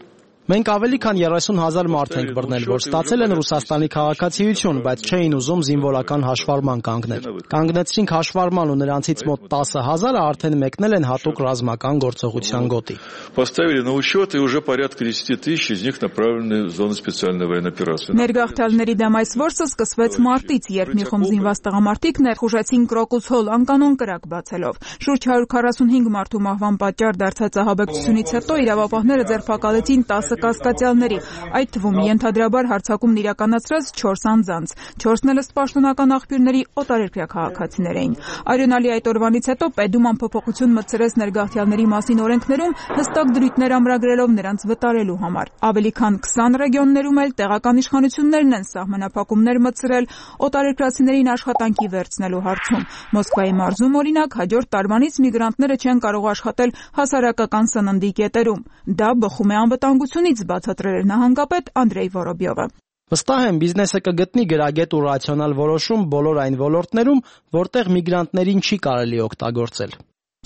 Մենք ավելի քան 30,000 մարդ ենք բռնել, որ ստացել են Ռուսաստանի քաղաքացիություն, բայց չէին ուզում զինվորական հաշվառման կանգնել։ Կանգնեցրինք հաշվառման ու նրանցից մոտ 10,000-ը արդեն մեկնել են հատուկ ռազմական գործողության գոտի։ Поставили на учет и уже порядка 10 тысяч из них направлены в зону специальной военной операции. Ներգաղթյալների դեմ այս որսը սկսվեց մարտից, երբ մի խումբ զինված տղամարդիկ ներխուժեցին Կրոկուս հոլ անկանոն կրակ բացելով։ Շուրջ 145 մարդու մահվան պատճառ դարձած ահաբեկչությունից հետո իրավապահները ձերբակալեցին 10 կասկածյալների, այդ թվում ենթադրաբար հարձակումն իրականացրած 4 անձանց, 4-ն էլ ըստ պաշտոնական աղբյուրների օտարերկրյա քաղաքացիներ էին։ Արյունալի այդ օրվանից հետո Պետդուման փոփոխություն մտցրեց ներգաղթյալների մասին օրենքներում, հստակ դրույթներ ամրագրելով նրանց վտարելու համար։ Ավելի քան 20 ռեգիոններում էլ տեղական իշխանություններն են սահմանափակումներ մտցրել օտարերկրացիներին աշխատանքի վերցնելու հարցում։ Մոսկվայի մարզում օրինակ հաջորդ տարվանից միգրանտները չեն կարող աշխատել հասարակական սննդի կետերում։ Դա բխում է անվտանգությունից, բացատրել էր նահանգապետ Անդրեյ Վորոբյովը։ Վստահ եմ, բիզնեսը կգտնի գրագետ ու ռացիոնալ որոշում բոլոր այն ոլորտներում, որտեղ միգրանտներին չի կարելի օգտագործել։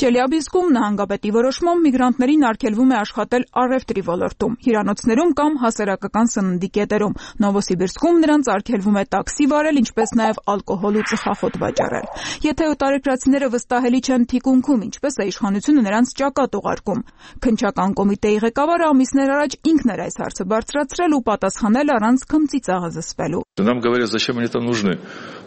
Չելյաբինսկում նահանգապետի որոշմամբ միգրանտներին արգելվում է աշխատել առևտրի ոլորտում, հյուրանոցներում կամ հասարակական սննդի կետերում։ Նովոսիբիրսկում նրանց արգելվում է տաքսի վարել, ինչպես նաև ալկոհոլ ու ծխախոտ վաճառել։ Եթե օտարերկրացիները վստահելի չեն թիկունքում, ինչպես է իշխանությունը նրանց ճակատ ուղարկում։ Քննչական կոմիտեի ղեկավարը ամիսներ առաջ ինքն էր այս հարցը բարձրացրել ու պատասխանել առանց քմծիծաղը զսպելու։ Нам говорят, зачем они там нужны,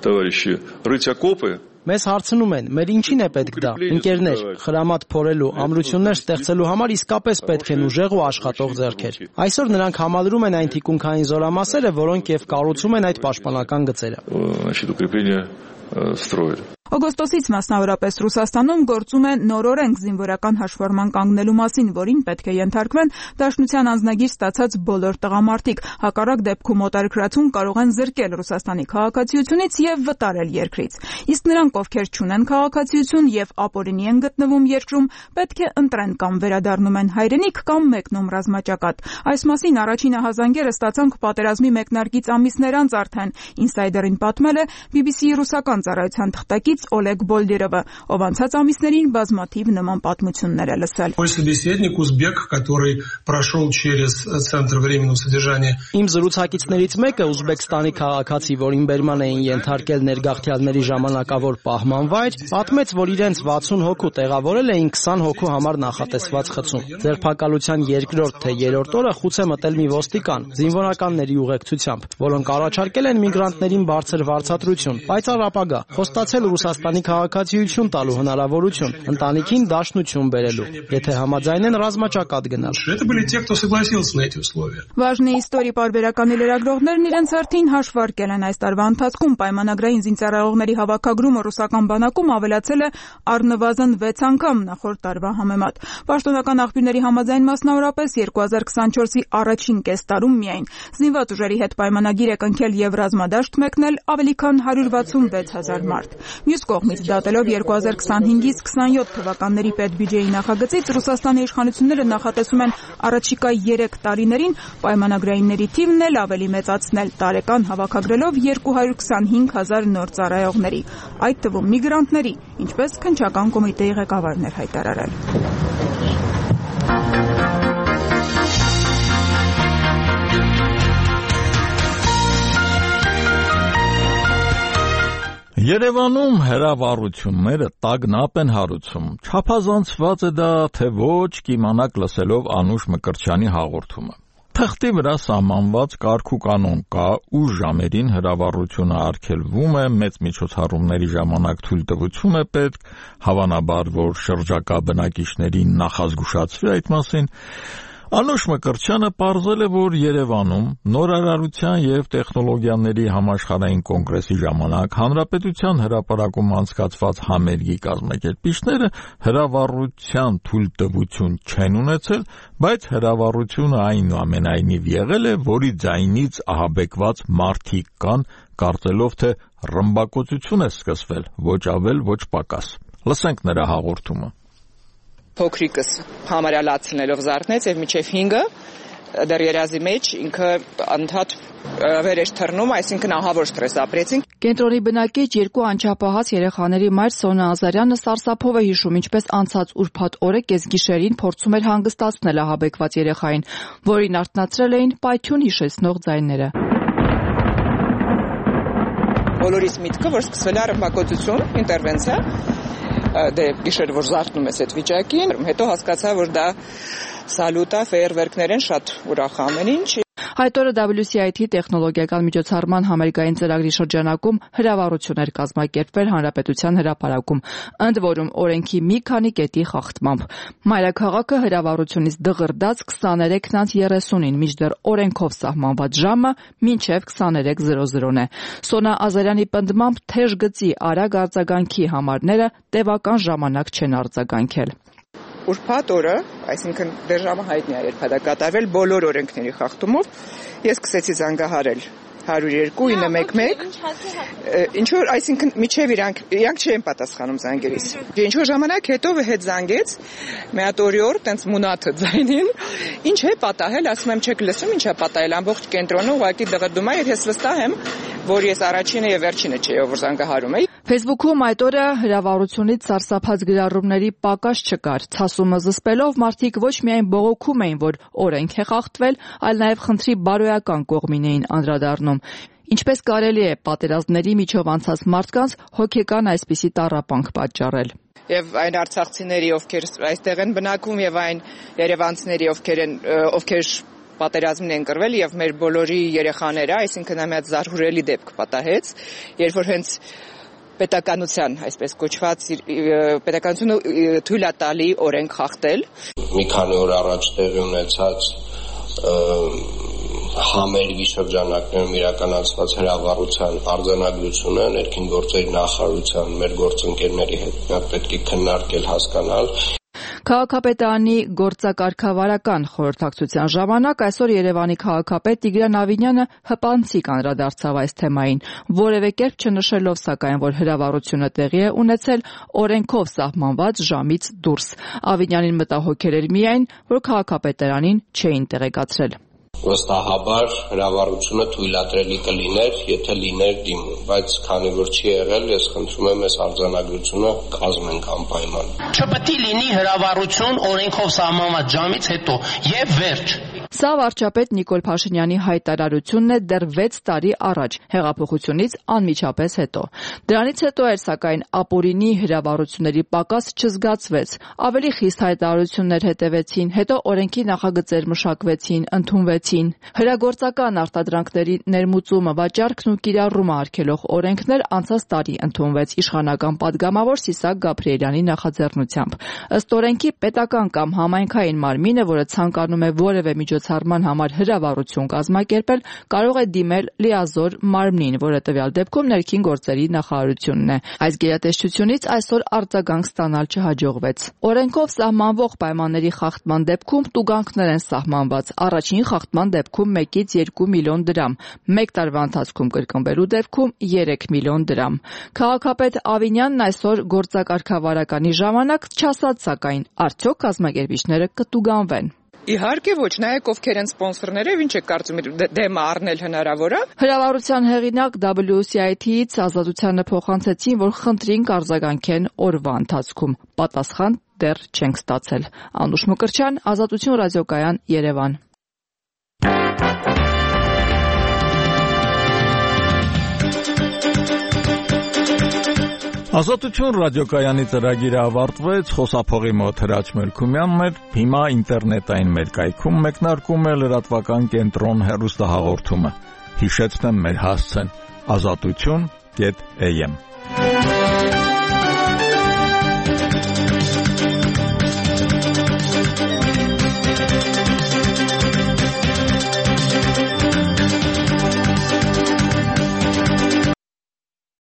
товарищи, рыть окопы. Մեզ հարցնում են, մեր ինչին է պետք դա։ Ընկերներ, խրամատ փորելու, ամրություններ ստեղծելու համար իսկապես պետք են ուժեղ ու աշխատող ձեռքեր։ Այսօր նրանք համալրում են այն թիկունքային զորամասերը, որոնք եւ կառուցում են այդ պաշտպանական գծերը։ Օգոստոսից մասնավորապես Ռուսաստանում գործում է նոր օրենք զինվորական հաշվառման կանգնելու մասին, որին պետք է ենթարկվեն Դաշնության անձնագիր ստացած բոլոր տղամարդիկ։ Հակառակ դեպքում օտարերկրացուն կարող են զրկել Ռուսաստանի քաղաքացիությունից եւ վտարել երկրից։ Իսկ նրանք, ովքեր չունեն քաղաքացիություն եւ ապօրինի են գտնվում երկրում, պետք է ընտրեն կամ վերադառնում են հայրենիք կամ մեկնում ռազմաճակատ։ Այս մասին առաջին ահազանգերը ստացանք պատերազմի մեկնարկից ամիսներ անց արդեն։ Ինսայդերին պատմել է BBC-ի ռուսական ծառայության թղթակից Օլեգ Բոլդիրովը, ով անցած ամիսներին բազմաթիվ նման պատմություններ է լսել։ Իմ զրուցակիցներից մեկը ուզբեկստանի քաղաքացի, որին բերման էին ենթարկել ներգաղթյալների ժամանակավոր պահման վայր, պատմեց, որ իրենց 60 հոգու տեղավորել էին 20 հոգու համար նախատեսված խցում։ Ձերբակալության երկրորդ թե երրորդ օրը խուց է մտել մի ոստիկան զինվորականների ուղեկցությամբ, որոնք առաջարկել են միգրանտներին բարձր վարձատրություն, պայծառ ապագա, խոստացել Հայաստանի քաղաքացիություն տալու հնարավորություն, ընտանիքին դաշնություն բերելու, եթե համաձայնեն ռազմաճակատ գնալ։ Վաժնի իստորի պարբերականի լրագրողներն իրենց հերթին հաշվարկել են այս տարվա ընթացքում պայմանագրային զինծառայողների հավաքագրումը ռուսական բանակում ավելացել է առնվազն 6 անգամ նախորդ տարվա համեմատ։ Պաշտոնական աղբյուրների համաձայն մասնավորապես 2024-ի առաջին կեստարում միայն զինված ուժերի հետ պայմանագիր է կնքել եւ ռազմադաշտ մեկնել ավելի քան 166,000 մարդ։ Մյուս կողմից դատելով 2025-ից 27 թվականների պետբյուջեի նախագծից Ռուսաստանի իշխանությունները նախատեսում են առաջիկա 3 տարիներին պայմանագրայինների թիվն էլ ավելի մեծացնել, տարեկան հավաքագրելով 225,000 նոր ծառայողների, այդ թվում միգրանտների, ինչպես քննչական կոմիտեի ղեկավարն էր հայտարարել։ Երևանում հրավառությունները տագնապ են հարուցում։ Չափազանցված է դա, թե ոչ կիմանաք լսելով Անուշ Մկրտչյանի հաղորդումը։ Թղթի վրա սահմանված կարգ ու կանոն կա, ուշ ժամերին հրավառությունը արգելվում է, մեծ միջոցառումների ժամանակ թույլտվություն է պետք, հավանաբար, որ շրջակա բնակիչներին նախազգուշացվի այդ մասին։ Անուշ Մկրտչյանը պարզել է, որ Երևանում նորարարության եւ տեխնոլոգիաների համաշխարհային կոնգրեսի ժամանակ Հանրապետության հրապարակում անցկացված համերգի կազմակերպիչները հրավառության թույլտվություն չեն ունեցել, բայց հրավառությունը այնուամենայնիվ եղել է, որի ձայնից ահաբեկված մարդիկ կան, կարծելով թե ռմբակոծություն է սկսվել, ոչ ավել, ոչ պակաս։ Լսենք նրա հաղորդումը։ Փոքրիկս համարյա լացնելով զարթնեց եւ միջև 5-ը դեռ երազի մեջ ինքը անդադ վեր էր թռնում, այսինքն ահավոր ստրես ապրեցինք։ Կենտրոնի բնակիչ 2 անչափահաս երեխաների մայր Սոնա Ազարյանը սարսափով է հիշում, ինչպես անցած ուրբաթ օրը կեսգիշերին փորձում էր հանգստացնել ահաբեկված երեխային, որին արթնացրել էին պայթյուն հիշեցնող ձայները։ Բոլորիս միտքը, որ սկսվել է ռմբակոծություն, ինտերվենցիա, դե գիշեր որ զարթնում ես այդ վիճակին, հետո հասկացա, որ դա սալյուտ է, ֆեյերվերքներ են, շատ ուրախ ամեն ինչ։ Այդ օրը WCIT տեխնոլոգիական միջոցառման համերգային ծրագրի շրջանակում հրավառություն էր կազմակերպվել Հանրապետության հրապարակում, ընդ որում օրենքի մի քանի կետի խախտմամբ։ Մայրաքաղաքը հրավառությունից դղրդաց 23:30-ին, մինչդեռ օրենքով սահմանված ժամը մինչև 23:00-ն է։ Սոնա Ազարյանի պնդմամբ թեժ գծի արագ արձագանքի համարները տևական ժամանակ չեն արձագանքել։ Ուրբաթ օրը, այսինքն դեռ ժամը հայտնի է, երբ դա կատարվել բոլոր օրենքների խախտումով, ես սկսեցի զանգահարել 102-911, ինչ որ, այսինքն միջև իրանք չեն պատասխանում զանգերից։ Ինչ որ ժամանակ հետո հետ զանգեց, մի հատ օրիոր, տենց մունաթը ձայնին, ինչ է պատահել, ասում եմ չեք լսում, ինչ է պատահել, ամբողջ կենտրոնը ուղղակի դղրդում է եւ ես վստահ եմ, որ ես առաջինը եւ վերջինը չէ, որ զանգահարում էի։ Facebook-ում այդ օրը հրավառությունից սարսափած գրառումների պակաս չկար։ Ցասումը զսպելով մարդիկ ոչ միայն բողոքում էին, որ օրենք է խախտվել, այլ նաև խնդրի բարոյական կողմին էին անդրադառնում։ Ինչպես կարելի է պատերազմների միջով անցած մարդկանց հոգեկան այսպիսի տառապանք պատճառել։ Եվ այն արցախցիների, ովքեր այստեղ են բնակվում, եւ այն երևանցիների, ովքեր պատերազմին են կռվել եւ մեր բոլորի երեխաները, այսինքն ամենից զարհուրելի դեպք պատահեց, երբ որ հենց պետականության, այսպես կոչված, պետականությունը թույլ է տալի օրենք խախտել։ Մի քանի օր առաջ տեղի ունեցած համերգի շրջանակներում իրականացված հրավառության արձանագրությունը ներքին գործերի նախարարության մեր գործընկերների հետ պետք է քննարկել, հասկանալ։ Քաղաքապետարանի գործակարգավարական խորհրդակցության ժամանակ այսօր Երևանի քաղաքապետ Տիգրան Ավինյանը հպանցիկ անդրադարձավ այս թեմային, որևէ կերպ չնշելով սակայն, որ հրավառությունը տեղի է ունեցել օրենքով սահմանված ժամից դուրս։ Ավինյանին մտահոգել էր միայն, որ քաղաքապետարանին չէին տեղեկացրել։ Վստահաբար հրավառությունը թույլատրելի կլիներ, եթե լիներ դիմում, բայց քանի որ չի եղել, ես խնդրում եմ այս արձանագրությունը կազմենք անպայման։ Չպետք է լինի հրավառություն օրենքով սահմանված ժամից հետո եւ վերջ։ Սա վարչապետ Նիկոլ Փաշինյանի հայտարարությունն է դեռ 6 տարի առաջ, հեղափոխությունից անմիջապես հետո։ Դրանից հետո էր, սակայն, ապօրինի հրավառությունների պակաս չզգացվեց։ Ավելի խիստ հայտարարություններ հետևեցին, հետո օրենքի նախագծեր մշակվեցին, ընդունվեցին։ Հրագործական արտադրանքների ներմուծումը, վաճառքն ու կիրառումը արգելող օրենքներ անցած տարի ընդունվեց իշխանական պատգամավոր Սիսակ Գաբրիելյանի նախաձեռնությամբ։ Ըստ օրենքի պետական կամ համայնքային մարմինը, որը ցանկանում է որևէ միջոցառման համար հրավառություն կազմակերպել, կարող է դիմել լիազոր մարմնին, որը տվյալ դեպքում ներքին գործերի նախարարությունն է։ Այս գերատեսչությունից այսօր արձագանք ստանալ չհաջողվեց։ Օրենքով սահմանվող պայմանների խախտման դեպքում տուգանքներ են սահմանված։ Առաջին խախտման դեպքում 1-ից 2 միլիոն դրամ, 1 տարվա ընթացքում կրկնվելու դեպքում 3 միլիոն դրամ։ Քաղաքապետ Ավինյանն այսօր գործակարգավարականի ժամանակ չասաց, սակայն արդյոք կազմակերպիչները կտուգանվեն։ Իհարկե ոչ, նայեք ովքեր են սպոնսորները, ինչ եք կարծում դեմը առնել հնարավոր է։ Հրավառության հեղինակ WCIT-ից Ազատությանը փոխանցեցին, որ խնդրին կարձագանքեն օրվա ընթացքում։ Պատասխան դեռ չենք ստացել։ Անուշ Մկրտչյան, Ազատություն ռադիոկայան, Երևան։ Ազատություն ռադիոկայանի ծրագիրը ավարտվեց, խոսափողի մոտ Հրաչ Մելքումյանն էր, հիմա ինտերնետային մեր կայքում մեկնարկում է լրատվական կենտրոն հեռուստահաղորդումը։ Հիշեցնեմ մեր հասցեն՝ azatutun.am